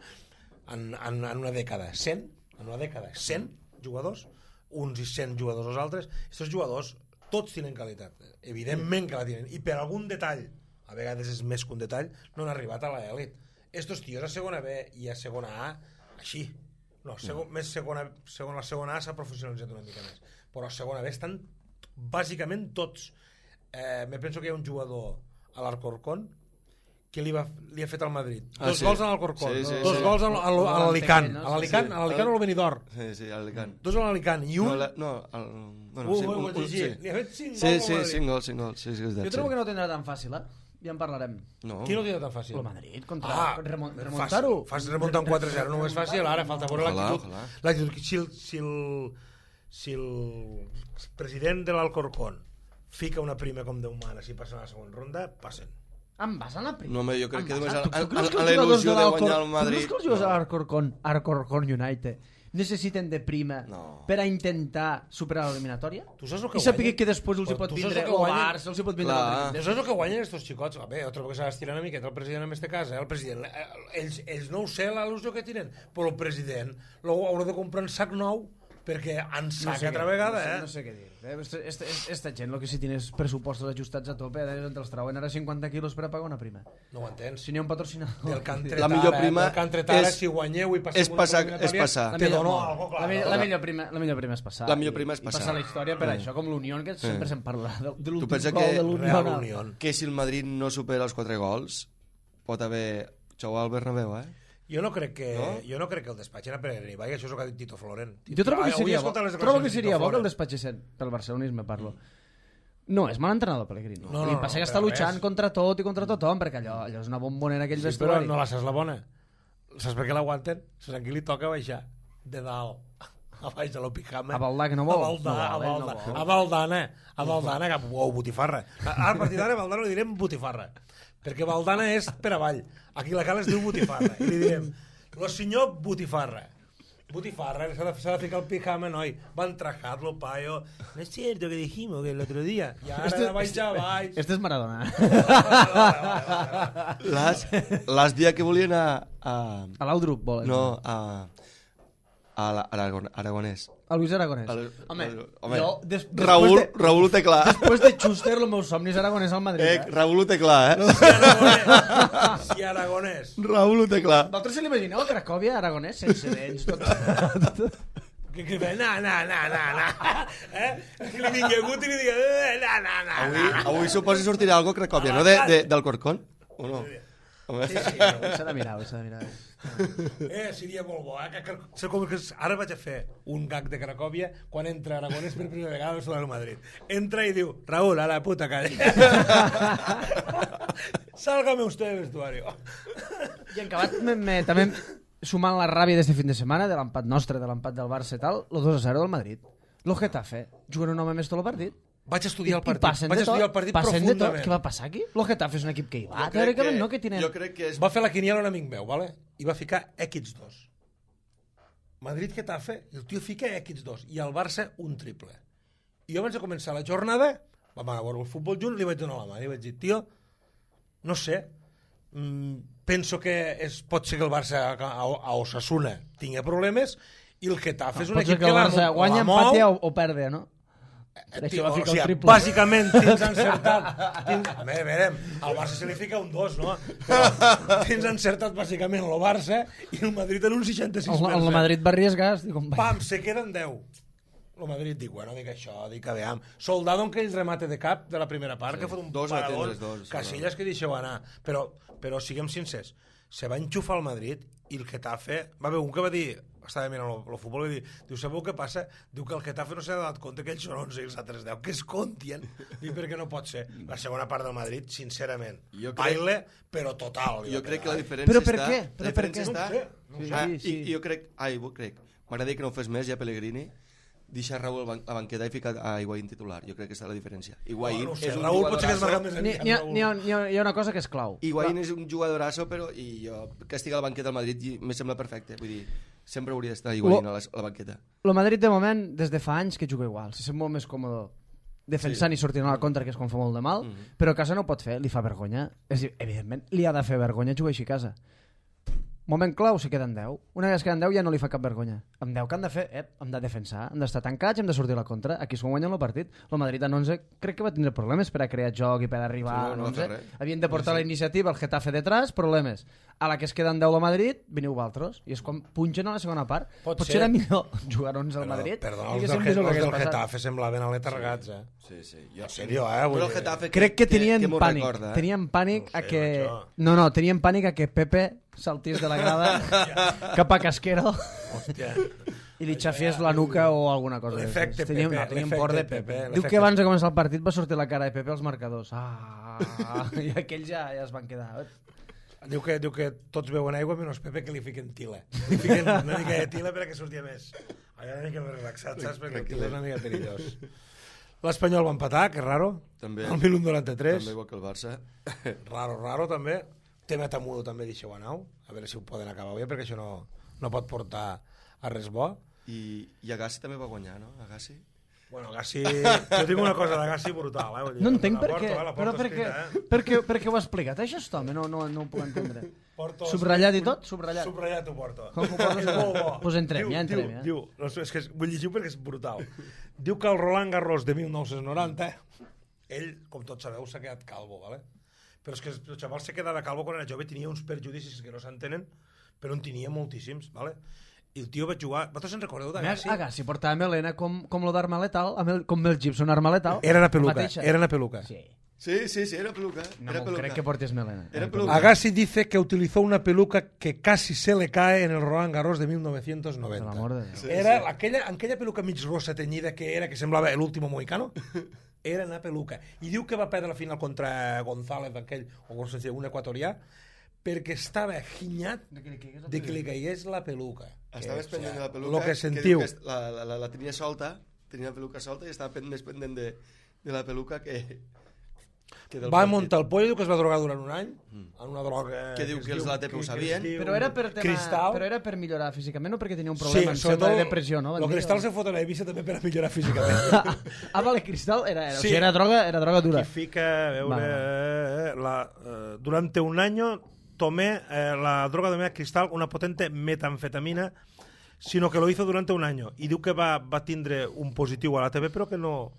en, en, en una dècada? cent? En una dècada? cent jugadors? Uns i cent jugadors els altres? Aquests jugadors tots tenen qualitat. Evidentment que la tenen. I per algun detall, a vegades és més que un detall, no han arribat a l'elit. Estos tios a segona B i a segona A, així. No, segon, més segona, segona, la segona A s'ha professionalitzat una mica més. Però a segona B estan bàsicament tots. Eh, me penso que hi ha un jugador a l'Alcorcón que li, va, li ha fet al Madrid. Ah, Dos sí. gols a l'Alcorcón, Sí, sí, dos sí. gols a, a, a l'Alicant, no? a l'Alicant, Sí. a l'Alicant o al Benidorm. Sí, sí, a l'Alicant. Dos a l'Alicant i un... No, la, no el, bueno, Uh, sí, uh, un, uh, un, sí. sí. Li ha fet cinc Sí, gols sí, al Madrid. cinc gols, cinc gols. Sí, sí, és Jo veritat, trobo sí. que no tindrà tan fàcil, eh? Ja en parlarem. No. Qui no ho tindrà tan fàcil? El Madrid, contra... Ah, remon fàcil. remuntar-ho. Fas remuntar un quatre zero, no és fàcil, ara falta veure Ojalà, l'actitud. ojalà. L'actitud. Si el, si el, si el president de l'Alcorcón fica una prima com Déu mana, si passen a la segona ronda, passen. Em vas a la primera. No, home, jo crec que només a, Tu- a, tu creus que a, a els la jugadors il·lusió de l'Alcor- guanyar el Tu Madrid... creus que els jugadors de no. l'Alcorcón, Alcorcón United, necessiten de prima No. per a intentar superar l'eliminatòria? Tu saps el que I saber guanyen? que després els hi Però pot tu saps vindre el que el guanyen? Barça, els hi pot vindre Clar. el Tu Madrid. saps el que guanyen estos xicots? A veure, trobo que s'ha d'estirar una miqueta el president en este cas, eh? El president, eh, ells, ells no ho sé l'al·lusió que tenen, però el president lo haurà de comprar un sac nou perquè en sac sé altra què- vegada, no sé, eh? no sé què dir. Eh, Esta, esta, esta gent, lo que sí tienes pressupostos ajustats a tope, eh, entre els trauen ara cinquanta quilos per a pagar una prima. No ho entens. Si n'hi ha un patrocinador... Del que han tret La millor ara, prima del que han tret ara, és- si guanyeu i passeu és una passar- eliminatòria, és passar. La te millor, dono la, algo, clar. millor, la, millor prima, la millor prima és passar. La millor prima és I, passar. I passar la història per Mm. això, com l'Unió, que sempre se'n parla de, de Tu l'últim pensa gol que de l'Unió. Real no? Unión. Que si el Madrid no supera els quatre gols, pot haver xau al Bernabéu, eh? Jo no crec que, No? jo no crec que el despatxin a Pellegrini, vaja, això és el que ha dit Tito Floren. Jo trobo que Avui he seria bo, escoltat les trobo que declaracions de seria Tito bo que el Floren. despatxessin pel barcelonisme, parlo. No, és mal entrenador Pellegrini. No, no, Li no, passa que per està luchant res. contra tot i contra tothom, perquè allò, allò és una bombonera aquell Sí, però vestuari. no la saps la bona. Saps per què l'aguanten? Saps a qui li toca baixar? De dalt. A baix de l'Opijama. A Valdà, que no vol. A Valdà, No vol, a ell no Valdà. vol. A Valdana. A Valdana, que... Uau, botifarra. Ara, a partir d'ara, a Valdana li direm botifarra. Perquè Valdana és per avall. Aquí la cala es diu botifarra. I li direm, lo senyor botifarra. Botifarra, s'ha de, s'ha de ficar el pijama, noi. Van trajarlo, payo. No es cierto que dijimos que el otro día. I ara de baix a baix. Este és Maradona. L'has l'has dia que volia anar a... A l'Audrup, volen. No, a... a la- Aragon, Aragonès. A Luis Aragonès. El- Home, el- home, jo... Des, Raül, després de, Raül ho té clar. després de Schuster, el meu somni és Aragonès al Madrid. Eh, Eh? Raül ho té clar, eh? Si Aragonès. Si Aragonès. Raül ho té clar. Vosaltres se l'imagineu a Cracòvia, Aragonès, sense dents, tot... Que, que ve, na, na, na, na, na. Eh? Que li vingui agut i li digui, eh, na, na, na, Avui, na. avui suposo sortirà algo a Cracòvia, no? De, de, del Corcón? O no? Home. Sí, sí. Ho s'ha de mirar, ho s'ha de mirar. Eh, seria molt bo, eh? Que, que, sé com que ara vaig a fer un gag de Cracòvia quan entra Aragonès per primera vegada al Real Madrid. Entra i diu, Raúl, a la puta calle. Sálgame usted del vestuario. I en acabat, me, me, també sumant la ràbia d'este fin de setmana, de l'empat nostre, de l'empat del Barça i tal, el dos a zero del Madrid. Lo Getafe, juguen un home més tot el partit. Vaig estudiar el I partit. passen Vaig de tot, estudiar el partit passen de tot. profundament. Què va passar aquí? Lo Getafe és un equip que hi va. Jo crec Teòricament que- no, que tenen... Jo crec que és... Va fer la quiniela un amic meu, vale? I va ficar equis dos. Madrid-Getafe, i el tio fica equis dos. I el Barça, un triple. I jo abans de començar la jornada, vam anar a veure el futbol junt, li vaig donar la mà. I vaig dir, tio, no sé, mm, penso que és, pot ser que el Barça a, a, a Osasuna tingui problemes i el Getafe és un Pot ser equip que el la Barça mo- guanya, la mou. empatia o, o perde, no? Per Tio, això va o ficar sigui, el triple. bàsicament tens encertat tens, a veure, veurem, al Barça se li fica un dos, no? Però tens encertat bàsicament el Barça i el Madrid en un seixanta-sis per El, cent. el Madrid va arriesgar, dic, com va. Pam, se queden deu. El Madrid dic, bueno, dic això, dic que veam. Soldado en aquell remate de cap de la primera part, Sí, que fot un dos a parador, tindres dos, Casillas que deixeu anar. Però, però siguem sincers, se va enxufar al Madrid i el Getafe... Va haver un que va dir, estava mirant el futbol, i dir, diu, sabeu què passa? Diu que el Getafe no s'ha donat compte que ells són onze i els altres deu, que es comptien. Diu, perquè no pot ser. La segona part del Madrid, sincerament, Jo crec- baile, però total. Jo crec que la diferència Però per està... què? La Però per diferència què? està... No ho sé, no ho sé. Ah, Sí, sí. I jo crec... Ai, ho crec. M'agradaria que no ho fes més, ja Pellegrini, deixar Raúl a ban- a banqueta i ficar a Higuaín titular. Jo crec que està la diferència. Higuaín No, no ho sé, és un Raúl potser que es marca jugadorasso... més N'hi enllà. ha, n'hi, ha, n'hi, ha, n'hi ha una cosa que és clau. Higuaín és un jugadorasso, però i jo que estigui a la banqueta del Madrid i me sembla perfecte. Vull dir, sempre hauria d'estar Higuaín a la, a la banqueta. El Madrid, de moment, des de fa anys que juga igual. Se sent molt més còmode defensant sí. i sortint a la contra, que és quan fa molt de mal, mm -hmm. però a casa no ho pot fer, li fa vergonya. És dir, evidentment, li ha de fer vergonya jugar així a casa. Moment clau, se queden deu. Una vegada es queden deu ja no li fa cap vergonya. Amb deu que han de fer? Eh, hem de defensar, hem d'estar tancats, hem de sortir a la contra. Aquí és quan guanyen el partit. El Madrid en onze crec que va tindre problemes per a crear joc i per arribar Sí, no, a no va fer onze. res. Havien de portar la iniciativa, el Getafe detrás, problemes. A la que es queden deu a Madrid, veniu vosaltres. I és quan punxen a la segona part. Pot Potser ser. era millor jugar onze al Però, Madrid. perdona, i els que del, sempre és el els que del hagués passat. Getafe semblaven aletargats, eh? Sí, sí. Jo, En sèrio, eh? Vull Però el dir- Getafe Crec que tenien que m'ho pànic. recorda, eh? Tenien pànic No a sé, que... macho. No, no, tenien pànic a que Pepe saltís de la grada cap a Casquero Hòstia. i li xafiés la nuca o alguna cosa. L'efecte Teníem, Pepe, no, teníem l'efecte por de Pepe, Pepe. Diu l'efecte que abans de començar el partit va sortir la cara de Pepe als marcadors. Ah, i aquells ja, ja es van quedar. Diu que, diu que tots beuen aigua menys Pepe, que li fiquen tila. Li fiquen una mica de tila perquè sortia més. Allà una mica més relaxat, saps? Perquè el tila és una mica perillós. L'Espanyol va empatar, que raro. També. El mil noranta-tres. També igual que el Barça. Raro, raro, també. Tema Tamudo també deixeu anar. A veure si ho poden acabar bé, perquè això no, no pot portar a res bo. I, i Agassi també va guanyar, no? Agassi? Bueno, Agassi... Jo tinc una cosa d'Agassi brutal, eh? Vull dir, No entenc la per porto, què, eh? La però porto per què, escrita, eh? per què, per què ho ha explicat? Això és home, no, no, no ho puc entendre. Porto Subratllat i escrit- tot? Subratllat. Subratllat ho porto. Com ho portes? És molt bo. Pues entrem, Diu- ja entrem, diu, ja. Diu, no, és que és, vull llegir perquè és brutal. Diu que el Roland Garros de mil nou-cents noranta, ell, com tots sabeu, s'ha quedat calvo, ¿vale? Però és que el xaval se quedava calvo quan era jove, tenia uns perjudicis que no s'entenen, però en tenia moltíssims, ¿vale? I el tio va jugar... Vosaltres se'n recordeu d'Agassi? Agassi portava melena com, com lo d'Arma Letal, amb el, com Mel Gibson, Arma Letal. Era una La peluca, mateixa. era una peluca. Sí. Sí, sí, sí, era peluca. No era m'ho peluca. crec que portés melena. Era peluca. Agassi dice que utilizó una peluca que casi se le cae en el Roland Garros de mil novecientos noventa. Per l'amor de Déu. Sí, Era sí. aquella, aquella peluca mig rosa tenyida que era, que semblava l'último mohicano, era una peluca. I diu que va perdre la final contra González, aquell, o com se diu, un equatorià, perquè estava ginyat de que li caigués la peluca. Estava més pendent de la peluca. Lo que diu sentiu. Que la, la, la, la tenia solta, tenia la peluca solta i estava pen- més pendent de, de la peluca que... que del Va partit. muntar el pollo, diu que es va drogar durant un any, en una droga... Que diu es que els de la T P ho que- que es sabien. diu Però era per tema, Cristal. però era per millorar físicament o perquè tenia un problema en sobretot sembla de depressió, no? Van El dir, Cristal o- se fot a l'Eivissa també per a millorar físicament. Ah, vale, Cristal era, era, Sí. o sigui, era droga, era droga dura. Y fica, a veure, Vale. la, eh, durante un año tomé eh, la droga de cristal, una potente metanfetamina, sino que lo hizo durante un año. I diu que va, va tindre un positiu a la T V, però que no...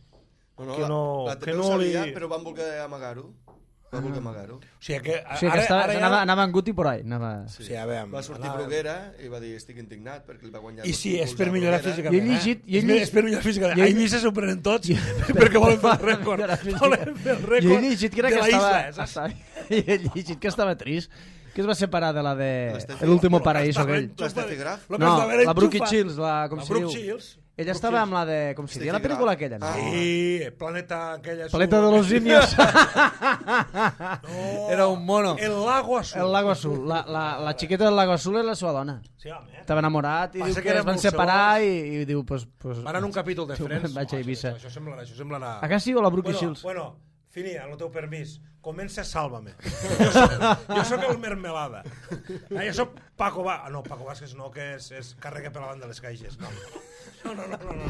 No, no, que no- la, la T P que ho no sabia, li- però van voler amagar-ho. Van voler amagar-ho. O sigui que, O sigui, que estava, anava, anava en Guti por ahí. Anava... Sí, sí, a veure, Va sortir anava- Bruguera i va dir estic indignat perquè li va guanyar... I dos sí, és títols per a millorar Bruguera. físicament. Jo he llegit- eh? jo he És, llegit- és per millorar físicament. jo he- A Eivissa s'ho prenen tots perquè volen fer el rècord. Millorar física. Volen fer el Jo rècord he llegit que era de que la estava, isla. saps? estava, he llegit que estava trist, que es va separar de la de L'Steffi- El último Lo que paraíso estava aquell. enxufat- L'Steffi Graf? lo que No, estava era la Brooke enxufat. Shields, la, com La se Brooke diu. Shields. Ella estava amb la de... Com se diu la Steffi pel·lícula Graf. aquella, no? Ah. Sí, Planeta aquella... Planeta azul. de los simios. No, Era un mono. El Lago Azul. El Lago Azul. La, la, la xiqueta del Lago Azul era la seva dona. Sí, home. Estava enamorat i Passa diu que que era es van molt separar i, segons. i diu... Pues, pues, Van en un capítol de Diu, Friends. vaig a Eivissa. Això, això, sembla, això sembla anar... A Gassi o la Brooke bueno, Shields? Bueno, Fini, amb el teu permís, comença Sálvame. Jo soc, jo soc el Mermelada. Ah, jo soc Paco Vázquez. Ah, no, Paco Vázquez no, que és, és carrega per la banda de les caixes. No, no, no, no, no, no,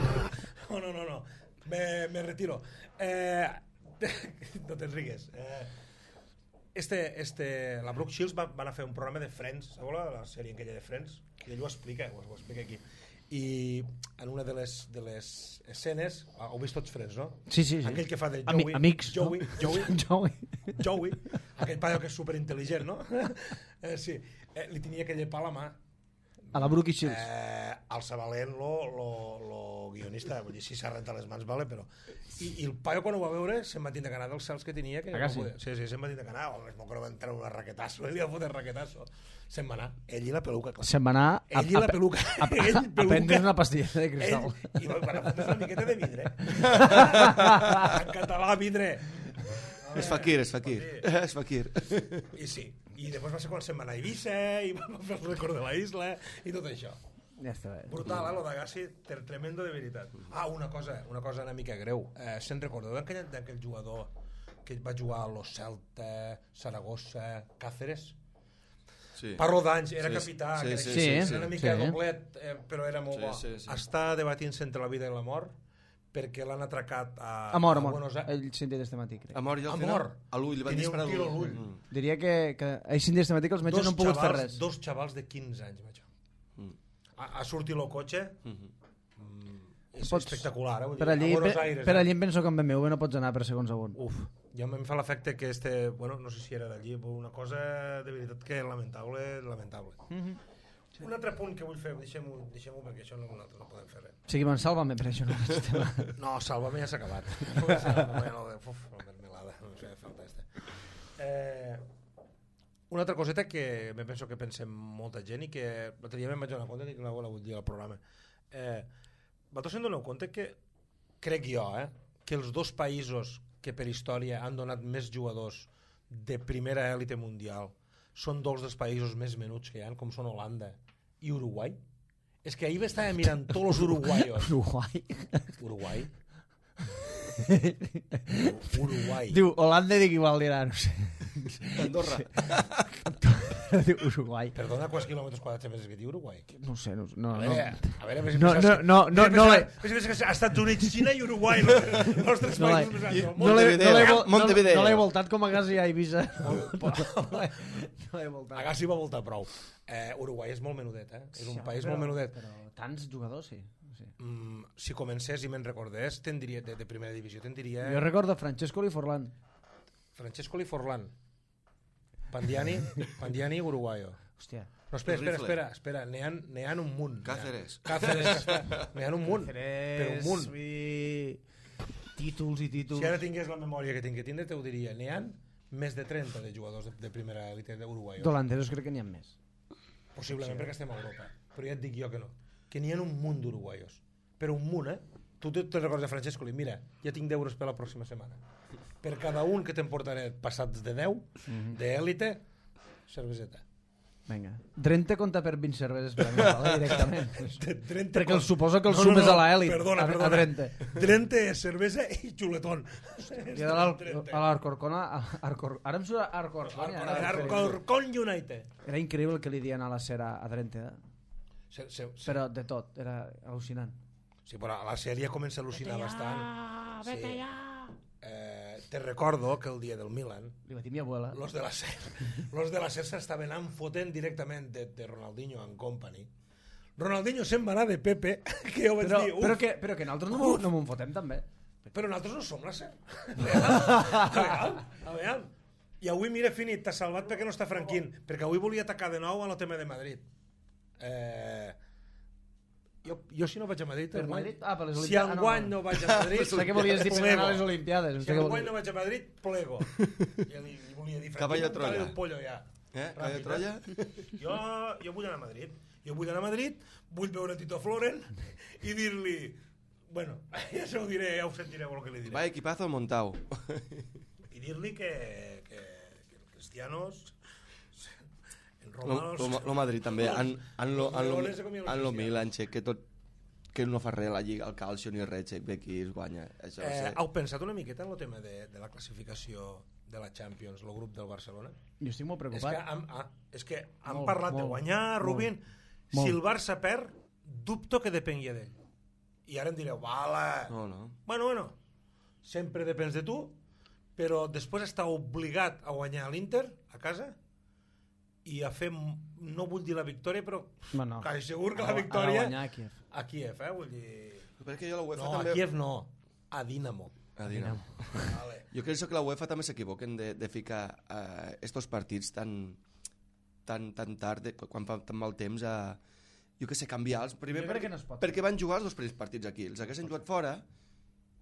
no, no, no, no. Me, me retiro. Eh, no te'n rigues. Eh, este, este, la Brooke Shields va, van a fer un programa de Friends, sabeu la, la sèrie aquella de Friends? I ell ho explica, ho, ho explica aquí. I en una de les, de les escenes, ah, heu vist tots Friends, no? Sí, sí, sí. Aquell que fa de Ami- Joey, amics, Joey, no? Joey, Joey. Joey, aquell paio que és superintel·ligent, no? Eh, sí, eh, li tenia aquell llepar a la mà, A la Brookie Shields. Eh, el Sabalent, lo, lo, lo guionista, vull dir, si s'ha rentat les mans, vale, però... I, I el paio, quan ho va veure, se'n va tindre que anar dels cels que tenia. Que ah, no sí? podia... Sí, sí, se'n va tindre que anar. Home, es que va entrar una raquetasso, ell li va fotre raquetasso. Se'n va anar. Ell i la peluca, clar. Se'n va anar a, Ell i la peluca. A, a, a, a prendre una pastilla de cristal. Ell, i va, va fotre una miqueta de vidre. En català, vidre. És Fakir, és Fakir. És Fakir. I sí. I després va ser quan se'n va anar a Eivissa i va fer el record de la isla i tot això. Ja està bé. Brutal, eh, lo d'Agassi, tremendo de veritat. Ah, una cosa, una cosa una mica greu. Eh, se'n recordeu d'aquell, d'aquell jugador que va jugar a Los Celta, Saragossa, Cáceres? Sí. Parlo d'anys, era Sí, capità, sí, crec. sí, sí, era sí, una mica sí. doblet, eh, però era molt Sí, bo. sí, sí. Està debatint-se entre la vida i la mort perquè l'han atracat a, A mort, a a mort. Buenos Aires. Ell sentia este matí, crec. A mort i al A final, mort. a l'ull, li van Tenia un disparar a tiro a l'ull. l'ull. Mm. Diria que, que ell sentia este matí que els metges Dos no han pogut fer xavals- res. Dos xavals de quinze anys, macho. Mm. Ha, ha sortit el cotxe, Mhm. és Pots- espectacular, eh? Vull Per dir, allí, a Buenos per, Aires. per eh? allí em penso que amb B M W no pots anar per segons a on. Uf, ja em fa l'efecte que este, bueno, no sé si era d'allí, però una cosa de veritat que lamentable, lamentable. Mm -hmm. Un altre punt que vull fer, deixem-ho deixem perquè això no, nosaltres no podem fer res. O sigui, me'n sàlvame per això. No, No, Sálvame ja s'ha acabat. No, ja no, uf, la mermelada, no em feia falta este. Eh, una altra coseta que me penso que pensem molta gent i que l'altre dia me'n vaig donar compte i que la vull dir al programa. Eh, vosaltres se'n doneu compte que, crec jo, eh, que els dos països que per història han donat més jugadors de primera èlite mundial són dos dels països més menuts que hi ha, com són Holanda i Uruguai? És que ahir estava mirant tots els uruguaios. Uruguai. Uruguai? Uruguai. Diu, Holanda dic igual dirà, no sé. Andorra. Diu Uruguai. Perdona, quants quilòmetres quadrats més que diu Uruguai? No sé, no, no, A no. veure, a veure, a veure si No, penses no, que- no, no, a veure, no penses- l'he- a veure si penses que Estats Units, Xina i Uruguai, los, los tres No l'he- països més grans del món. No l'he no l'he vol- no- Montevideo. no l'he voltat com a gas i a Eivissa. No l'he no l'he voltat. Agassi va voltar prou. Eh, Uruguai és molt menudet, eh? És un Sí, país però- molt menudet. Però tants jugadors, sí. sí. Mm, si comencés i me'n recordés, te'n diria, de, de primera divisió, te'n diria Jo recordo Francesco Liforlan. Francesco Liforlan, Pandiani, Pandiani, Uruguayo. Hòstia. No, espera, espera, Rifle. espera, espera, n'hi ha, n'hi ha un munt. Cáceres. Cáceres, ja està. N'hi ha un munt, però un munt. Vull... Títols i títols. Si ara tingués la memòria que tinc que tindre, te ho diria. N'hi ha més de trenta de jugadors de, de primera èlite d'Uruguai. D'holandesos crec que n'hi ha més. Possiblement, sí, perquè estem a Europa. Però ja et dic jo que no. Que n'hi ha un munt d'uruguaios. Però un munt, eh? Tu te, te recordes de Francesco? Mira, ja tinc deu euros per la pròxima setmana. Per cada un que te'n portaré passats de deu, Mhm. d'élite, cerveseta. Vinga. Drenthe compta per vint cerveses per a mi, vale? Directament. De Drenthe Perquè con- el suposo que el No, no, sumes no, a l'elit. Perdona, a, perdona. A Drenthe. Drenthe és cervesa i xuletón. I de l'Al- a l'Arcorcona... a- Arcor... Ara em surt Arcorcona. Arcorcon United. Era increïble el que li diuen a la cera a Drenthe, eh? Se, se, se, Però de tot, era al·lucinant. Sí, però a la sèrie comença a al·lucinar bastant. Ah, vete Sí. ja. Eh, te recordo que el dia del Milan Li va dir mi abuela. los de la S E R los de la S E R s'estaven anant fotent directament de, de Ronaldinho and company. Ronaldinho se'n va anar de Pepe, que jo vaig Però, dir, uf, però, que, però que nosaltres no, m'ho- no m'ho fotem també. però nosaltres no som la S E R. A veure, a veure. I avui, mira, finit, t'ha salvat perquè no està Franquín, perquè avui volia atacar de nou a el tema de Madrid. Eh, jo, jo si no vaig a Madrid, Per enguany- Madrid? Ah, per les si Olimpiades. Ah, no, enguany no. no vaig a Madrid, Sé que volies dir per plego. anar a les Olimpiades. Si sé que enguany volies- no vaig a Madrid, plego. Ja li, li volia dir, Caballo Franquín, Troya. el pollo ja. Eh? Caballo Ràpid, Troya? Jo, jo vull anar a Madrid. Jo vull anar a Madrid, vull veure Tito Floren i dir-li... Bueno, ja se ho diré, ja ho sentireu el que li diré. Va, equipazo montau. I dir-li que, que, que els cristianos... En Lo, Roma... lo, lo Madrid també. En, en, lo, en, lo, Leones se comien los en lo cristianos. Milan, che, que tot que no fa res la Lliga, el calcio ni res, che, ve aquí es guanya. Això, Eh, sí. heu pensat una miqueta en el tema de, de la classificació de la Champions, el grup del Barcelona? Jo estic molt És que preocupat. han, ah, és que han Molt, parlat de molt, guanyar, Rubin. molt. Si el Barça perd, dubto que depengui d'ell. I ara em direu, vale. No, no. Bueno, bueno, sempre depens de tu, però després està obligat a guanyar l'Inter a casa i a fer, no vull dir la victòria, però Bueno, quasi segur que ha la de- ha de victòria guanyar a Kíev. a Kíev, eh? Vull dir... Però és que jo la UEFA No, a també... Kíev no, a Dinamo. A Dinamo. Vale. Jo crec que la UEFA també s'equivoquen de, de ficar uh, estos partits tan, tan, tan tard, de, quan fa tan mal temps, a, jo què sé, canviar-los. Primer Jo crec perquè, que no es pot. perquè van jugar els dos primers partits aquí. Els haguessin jugat fora,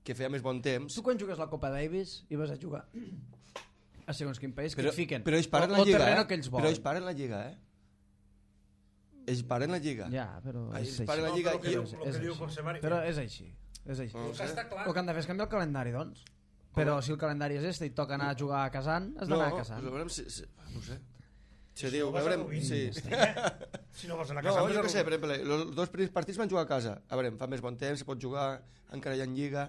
que feia més bon temps. Tu quan jugues la Copa Davis i vas a jugar a segons quin país, Però, que et fiquen. però ells paren o, la o lliga, terreno eh? que ells Però volen. ells paren la lliga, eh? Ells paren la lliga. Ja, però Ells és així. paren la No, lliga però el que i... diu- és, el que és diu així. José Mari- Però és així. És així. No El que està clar... El que han de fer és canviar el calendari, doncs. Però si el calendari és este i toca anar a jugar a Kazan, has d'anar a Kazan. No, veurem si, si, no sé. Si, Si diu, no vas a veurem... Rubí, Sí. Si no vols anar a No, casa... jo què sé, per exemple, els dos primers partits van jugar a casa. A veure, fa més bon temps, se pot jugar, encara hi ha lliga.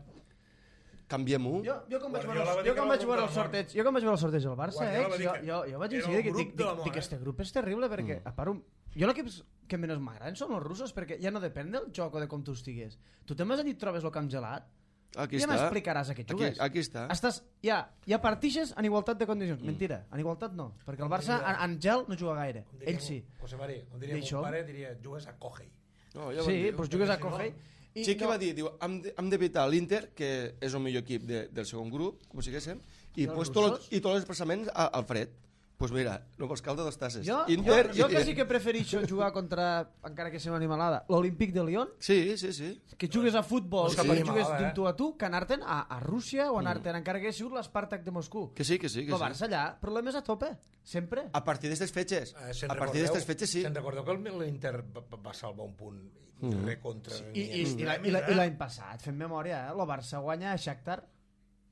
Canviem-ho. Jo, jo quan vaig Guardiola veure, va el- dir jo que quan era vaig el veure grup el de la sorteig, jo quan vaig veure el sorteig del Barça, Guardiola va eh, dir jo, que jo, jo vaig era decidir el que grup dic, de la dic, mort, dic, eh? este grup és terrible perquè, a part, un- jo l'equip que menys m'agraden són els russos perquè ja no depèn del joc o de com tu estigues. Tu te'n vas allí i et trobes el camp gelat, Aquí ja està. m'explicaràs a què Aquí, jugues. aquí està. Estàs, ja, ja partixes en igualtat de condicions. Mentira, en igualtat no, perquè el Barça en, en gel no juga gaire. Com diria Ell sí. José Mari, com diria I això? mon pare, diria, jugues a Cogei. No, ja ho Sí, vam dir. doncs jugues a perquè si no- Cogei. i Sí que no- va dir, diu, hem de- hem d'evitar l'Inter, que és el millor equip de, del segon grup, com siguéssim, i, els pues, russos? tot, i tots els desplaçaments a- al fred. Doncs pues mira, no vols caldo dos tasses. Jo, Inter jo, jo i... quasi que prefereixo jugar contra, encara que sigui una animalada, l'Olímpic de Lyon, Sí, sí, sí. que jugues a futbol No és i cap jugues animalada, d'un eh? tu a tu, que anar-te'n a, a Rússia o anar-te'n encara que hagi sigut l'Spartak de Moscou. Que sí, que sí. Que El sí. Barça allà, problemes a tope, sempre. A partir d'aquestes fetges. Eh, se'n a partir recordeu- d'aquestes fetges, sí. Se'n recordeu que el- l'Inter va, va salvar un punt mm. re contra... I, i, i, la- i, la- i l'any passat, fem memòria, eh? el Barça guanya a Shakhtar,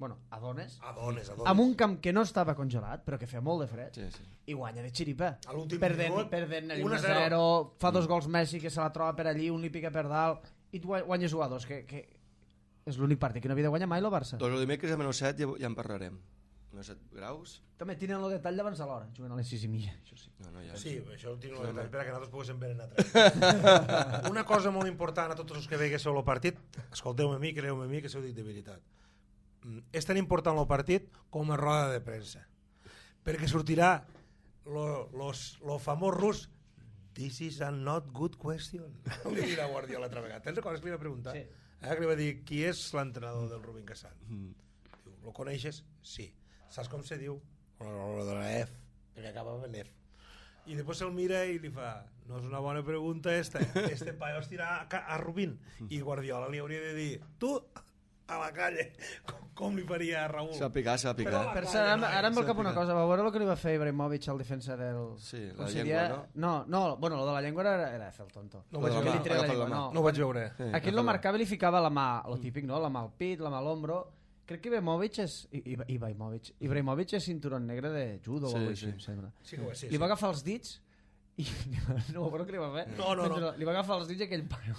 bueno, a Donetsk, Adones, adones. amb un camp que no estava congelat, però que feia molt de fred, Sí, sí. i guanya de xiripa. A l'últim Perdent, minut, perdent un a un a zero, fa dos gols Messi, que se la troba per allí, un li pica per dalt, i tu guanyes u a dos, que, que és l'únic partit que no havia de guanyar mai el Barça. Doncs el dimecres a menys set ja, ja en parlarem. menys set graus? També tenen el detall d'abans de l'hora, juguen a les sis i mitja, això sí. No, no, ja. Sí, això ho tinc un detall, perquè nosaltres poguéssim veure altre. Una cosa molt important a tots els que veiguéssiu el partit, escolteu-me a mi, creu-me a mi, que s'ho dic de veritat. Mm, És tan important el partit com a roda de premsa, perquè sortirà lo, los, lo famós rus "This is a not good question". Li dirà Guardiola l'altra vegada. Te'n recordes que li va preguntar? Sí. Eh, que li va dir, qui és l'entrenador del Rubin Kazan? Mm. Diu, lo coneixes? Sí. Saps com se diu? Lo de la F, perquè acabava en F. I després se'l mira i li fa, no és una bona pregunta esta, este paio es tira a, ca- a Rubin. I Guardiola li hauria de dir, tu, a la calle, com, com li faria a Raúl? S'ha picat, s'ha Però picat. la- Per cert, ara, ara em ve al cap una S'ha cosa, va veure el que li va fer Ibrahimovic al defensa del... Sí, com la se llengua, deia? no? No, bueno, lo de la llengua era, era fer el tonto. No ho vaig Lo de veure. la Que li treia la agafar la llengua, mà. no. No ho vaig veure. Sí, Aquest agafar lo la- marcava i li ficava la mà, lo típic, no? La mà al pit, la mà a l'ombro. Crec que Ibrahimovic és... I- I- Ibrahimovic. Ibrahimovic és cinturón negre de judo Sí, o alguna cosa sí. així, em sembla. Sí que ho és, sí, Li sí. va agafar els dits i no, però què li va fer? No, no, no. Li va agafar els dits i aquell paio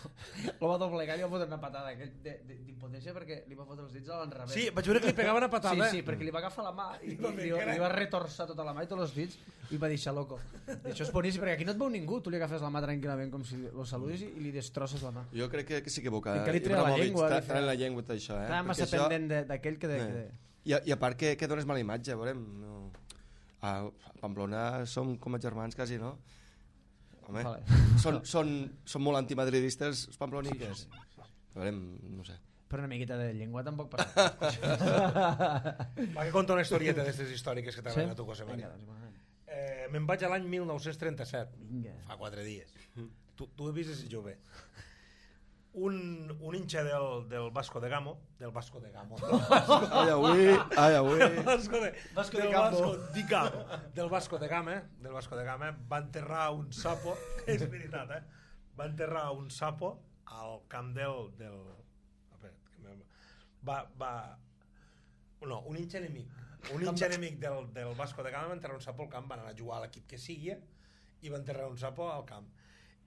lo va doblegar i li va fotre una patada aquell de- de- d'impotència perquè li va fotre els dits a l'enrevés. Sí, vaig veure que li pegava una patada. Sí, sí, perquè li va agafar la mà i, i, va fer li, que era- li va retorçar tota la mà i tots els dits i va deixar loco. I això és boníssim perquè aquí no et veu ningú, tu li agafes la mà tranquil·lament com si lo saludis i, i li destrosses la mà. Jo crec que, que s'equivoca. I que li treia la Ibrahimovic, llengua, tra- li feia- traient la llengua tot això, eh? Estava massa Perquè això- pendent de- d'aquell que de... Eh. Que de... I, a- I a part que, que dones mala imatge, veurem. No. A Pamplona som com a germans quasi, no? Home, Vale. són, són, són molt antimadridistes els pamploniques. Veurem, no sé. Però una miqueta de llengua tampoc per... Va, que conta una historieta d'aquestes històriques que t'agraden Sí? a tu, José María. Vinga, doncs, bueno. Eh, me'n vaig a l'any mil nou-cents trenta-set, Vinga. fa quatre dies. Tu, tu he vist ese jove. Un, un hincha del, del Vasco de Gamo, del Vasco de Gamo, del Vasco, Ai, avui, ai, avui. del Vasco de, Vasco del de Gamo. Vasco de Gamo, del Vasco de Gama, del Vasco de Gama, va enterrar un sapo, és veritat, eh? Va enterrar un sapo al camp del... del espera, que me- va, va, no, un hincha enemic. Un hincha enemic del, del Vasco de Gama va enterrar un sapo al camp, van anar a jugar a l'equip que sigui i va enterrar un sapo al camp.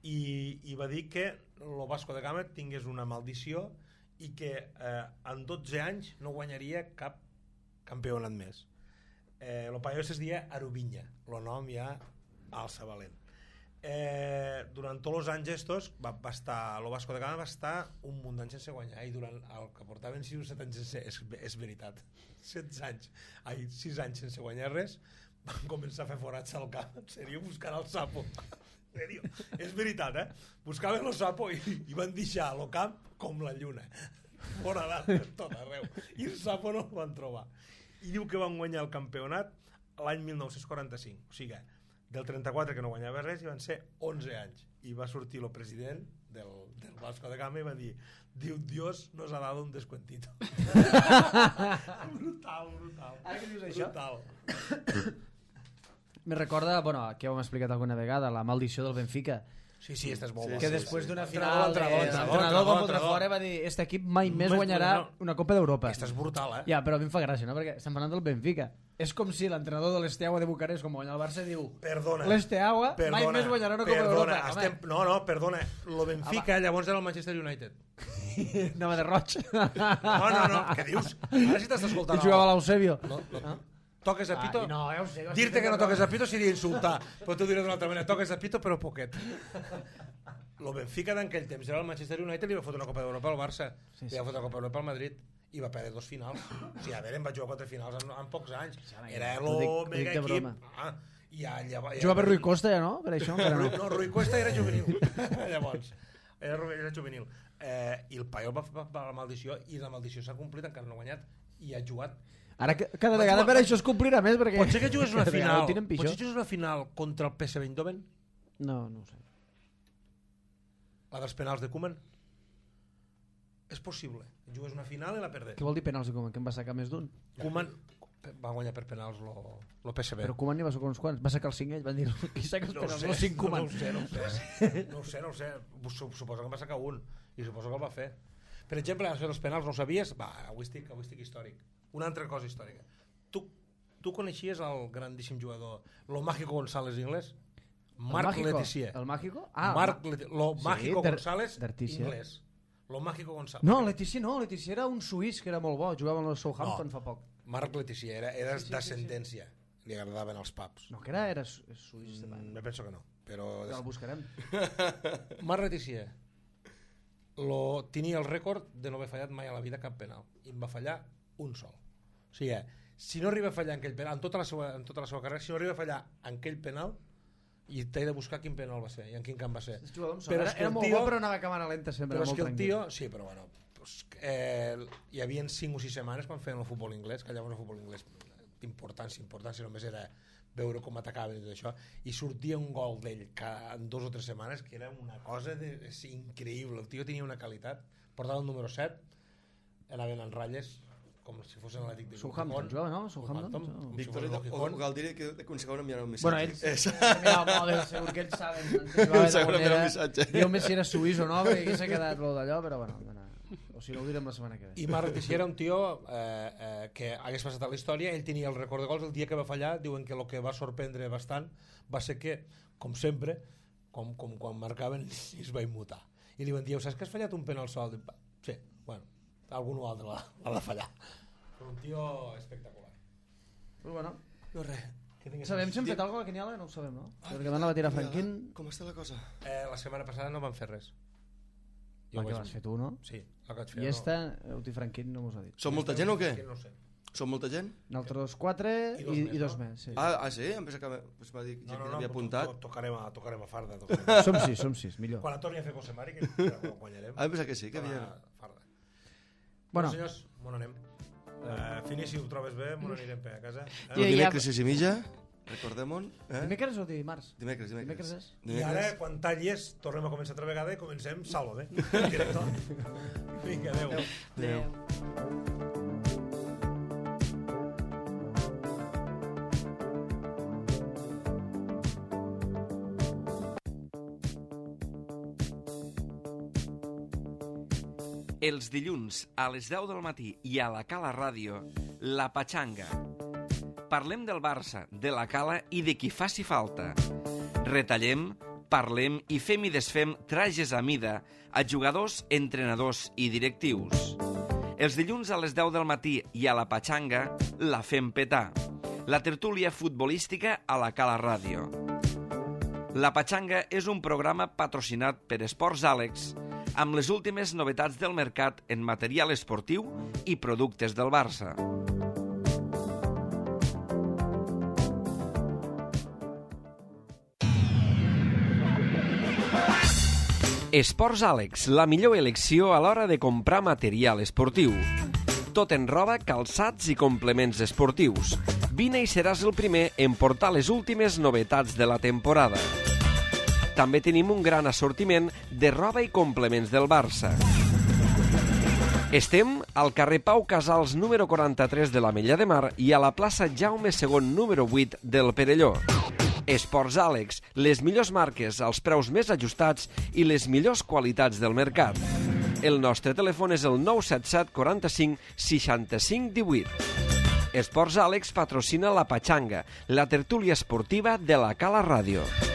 I, i va dir que el Vasco de Gama tingués una maldició i que eh, en dotze anys no guanyaria cap campionat més. Eh, el paio es deia Arubinya, el nom ja alça valent. Eh, durant tots els anys estos va, va estar, el Vasco de Gama va estar un munt d'anys sense guanyar i durant el que portaven sis o set anys sense, és, és veritat, setze anys, ai, sis anys sense guanyar res, van començar a fer forats al camp, en sèrio, buscant el sapo. En sèrio, és veritat, eh? Buscaven el sapo i, i van deixar el camp com la lluna, fora de tot arreu, i el sapo no el van trobar. I diu que van guanyar el campionat l'any mil nou-cents quaranta-cinc, o sigui, del trenta-quatre que no guanyava res i van ser onze anys. I va sortir el president del, del Vasco da Gama i va dir, diu, Dios nos ha dado un descuentito. Brutal, brutal. Ara que dius això? Brutal. Me recorda, bueno, que ho hem explicat alguna vegada, la maldició del Benfica. Sí, sí, estás molt bo. Que després d'una Sí. final, Entrenador, de- entrenador, l'entrenador va entrenador, fotre fora i va dir este equip mai més Més guanyarà guanyarà. una Copa d'Europa. Aquesta és brutal, eh? Ja, però a mi em fa gràcia, no? Perquè estem parlant del Benfica. És com si l'entrenador de l'Esteaua de Bucarest, com guanya el Barça, diu Perdona. l'Esteaua mai més guanyarà una Copa perdona, d'Europa. estem... No, no, perdona. Lo Benfica llavors era el Manchester United. Anava de roig. No, no, no. Què dius? Ara sí t'estàs escoltant. I jugava a l'Eusebio. No, no. Toques a pito? Ah, no, ja ho sé, ja ho sé. Dir-te que no toques a pito seria insultar, però t'ho diré d'una altra manera. Toques a pito, però poquet. Lo Benfica d'aquell temps era el Manchester United i li va fotre una Copa d'Europa al Barça. Sí, sí. Li va fotre una Copa d'Europa al Madrid i va perdre dos finals. O sigui, a veure, em vaig jugar quatre finals en, en pocs anys. Era Ho dic- ho el dic mega de equip. broma. Ah, i allà, ja, Jugava Rui Costa ja, no? Per això encara no. no, Rui Cuesta era juvenil. Llavors, era, era juvenil. Eh, I el Paiol va fer la maldició i la maldició s'ha complit, encara no ha guanyat i ha jugat. Ara que- cada vegada jugar- per això es complirà més, perquè... Pot ser que jugués una cada vegada final, ho tenen pitjor. pot ser que jugués una final contra el P S V Eindhoven, No, no ho sé. la dels penals de Koeman. És possible. Jugués una final i la perdés. Què vol dir penals de Koeman? Que en va sacar més d'un? Koeman va guanyar per penals lo, lo P S V. Però Koeman n'hi va sacar uns quants. Va sacar els cinc ell, van dir qui saca els no ho penals? sé, No, cinc no, Koeman. no ho sé, no ho sé. No ho sé, no ho sé. Suposo que en va sacar un i suposo que el va fer. Per exemple, això dels penals no ho sabies? Va, avui estic, avui estic històric. Una altra cosa històrica. Tu, tu coneixies el grandíssim jugador, lo Mágico González inglès? Marc Mágico? Letizier. El Mágico? Ah, Marc Ma- Leti- lo Sí, Mágico d'Ar- González d'Artícia. inglès. Lo Mágico González. No, Leticia no, Leticia era un suís que era molt bo, jugava amb el Southampton No. fa poc. Marc Letizier era, era Sí, sí, sí, d'ascendència. Li agradaven els pubs. No, que era, era su- suís. Mm, me penso que no. Però Ja el buscarem. Marc Letizier lo, tenia el rècord de no haver fallat mai a la vida cap penal i en va fallar un sol. O sigui, si no arriba a fallar en aquell penal en tota la seva, en tota la seva carrera, si no arriba a fallar en aquell penal, i t'he de buscar quin penal va ser i en quin camp va ser. És jugador amb sort. Però Era, és que era el molt tio- bo, però anava a càmera lenta sempre. Però és molt que el tranquil. tio... Sí, però bueno, pues, eh, hi havia cinc o sis setmanes quan feien el futbol inglès, que llavors el futbol inglès d'importància, importància, només era veure com atacaven i tot això, i sortia un gol d'ell cada en dos o tres setmanes que era una cosa de, és increïble. El tio tenia una qualitat, portava el número set, anaven en ratlles com si fossin l'Atlètic de Southampton, jugava, no? Southampton? com si Victoria fos el de Gijón. Galdiri que aconsegueix enviar un Bueno, missatge. ells... És- Mira, el mòbil, segur que ells saben. Antes jugava de Segurament manera... el missatge. Diu-me si era suís o no, perquè aquí s'ha quedat lo d'allò, però bueno, bueno, o si no ho direm la setmana que ve. I Marc Letizier era un tio eh, eh, que hagués passat a la història. Ell tenia el rècord de gols. El dia que va fallar, diuen que el que va sorprendre bastant va ser que, com sempre, com, com quan marcaven, es va immutar. I li van dir, saps que has fallat un penal sol? Dic, "Va, sí, bueno, algun altre l'ha l'ha de fallar. Però un tio espectacular. Però bueno, No res. Que tingues sabem si hem Di- fet alguna cosa a la Quiniela? No ho sabem, no? Perquè van a la tira Franquín... Com està la cosa? Eh, la setmana passada no van fer res. La ho que vaig- vas fer tu, no? Sí, la que vaig fer. I esta, Euti Franquín no mos ha dit. Som molta gent o què? No ho sé. Som molta gent? Nosaltres quatre I i, dos i, més, dos no? més, sí. Ah, ah sí? Em pensa que pues, va dir No, gent no, que no, havia to- apuntat. to- tocarem a, tocarem a farda. Tocarem a... Som sis, som sis, millor. Quan la torni a fer Cosemari, que que ho guanyarem. Ah, em pensa que sí, que havia... a farda. Bueno. Bueno, senyors, on anem? Uh, Fini, si ho trobes bé, on anirem per a casa. I- El Eh? dimecres sis i mitja, recordem-ho. Eh? Dimecres o dimarts? Dimecres, dimecres. Dimecres és? I ara, quan tallis, tornem a començar altra vegada i comencem Sálvame. Director. Vinga, adeu. Adéu. Els dilluns a les deu del matí i a la Cala Ràdio, La Patxanga. Parlem del Barça, de la Cala i de qui faci falta. Retallem, parlem i fem i desfem trajes a mida a jugadors, entrenadors i directius. Els dilluns a les deu del matí i a La Patxanga la fem petar. La tertúlia futbolística a la Cala Ràdio. La Patxanga és un programa patrocinat per Esports Àlex amb les últimes novetats del mercat en material esportiu i productes del Barça. Esports Àlex, la millor elecció a l'hora de comprar material esportiu. Tot en roba, calçats i complements esportius. Vine i seràs el primer en portar les últimes novetats de la temporada. També tenim un gran assortiment de roba i complements del Barça. Estem al carrer Pau Casals número quaranta-tres de l'Ametlla de Mar i a la plaça Jaume segon número vuit del Perelló. Esports Àlex, les millors marques, els preus més ajustats i les millors qualitats del mercat. El nostre telèfon és el nou set set quaranta-cinc seixanta-cinc divuit. Esports Àlex patrocina la Patxanga, la tertúlia esportiva de la Cala Ràdio.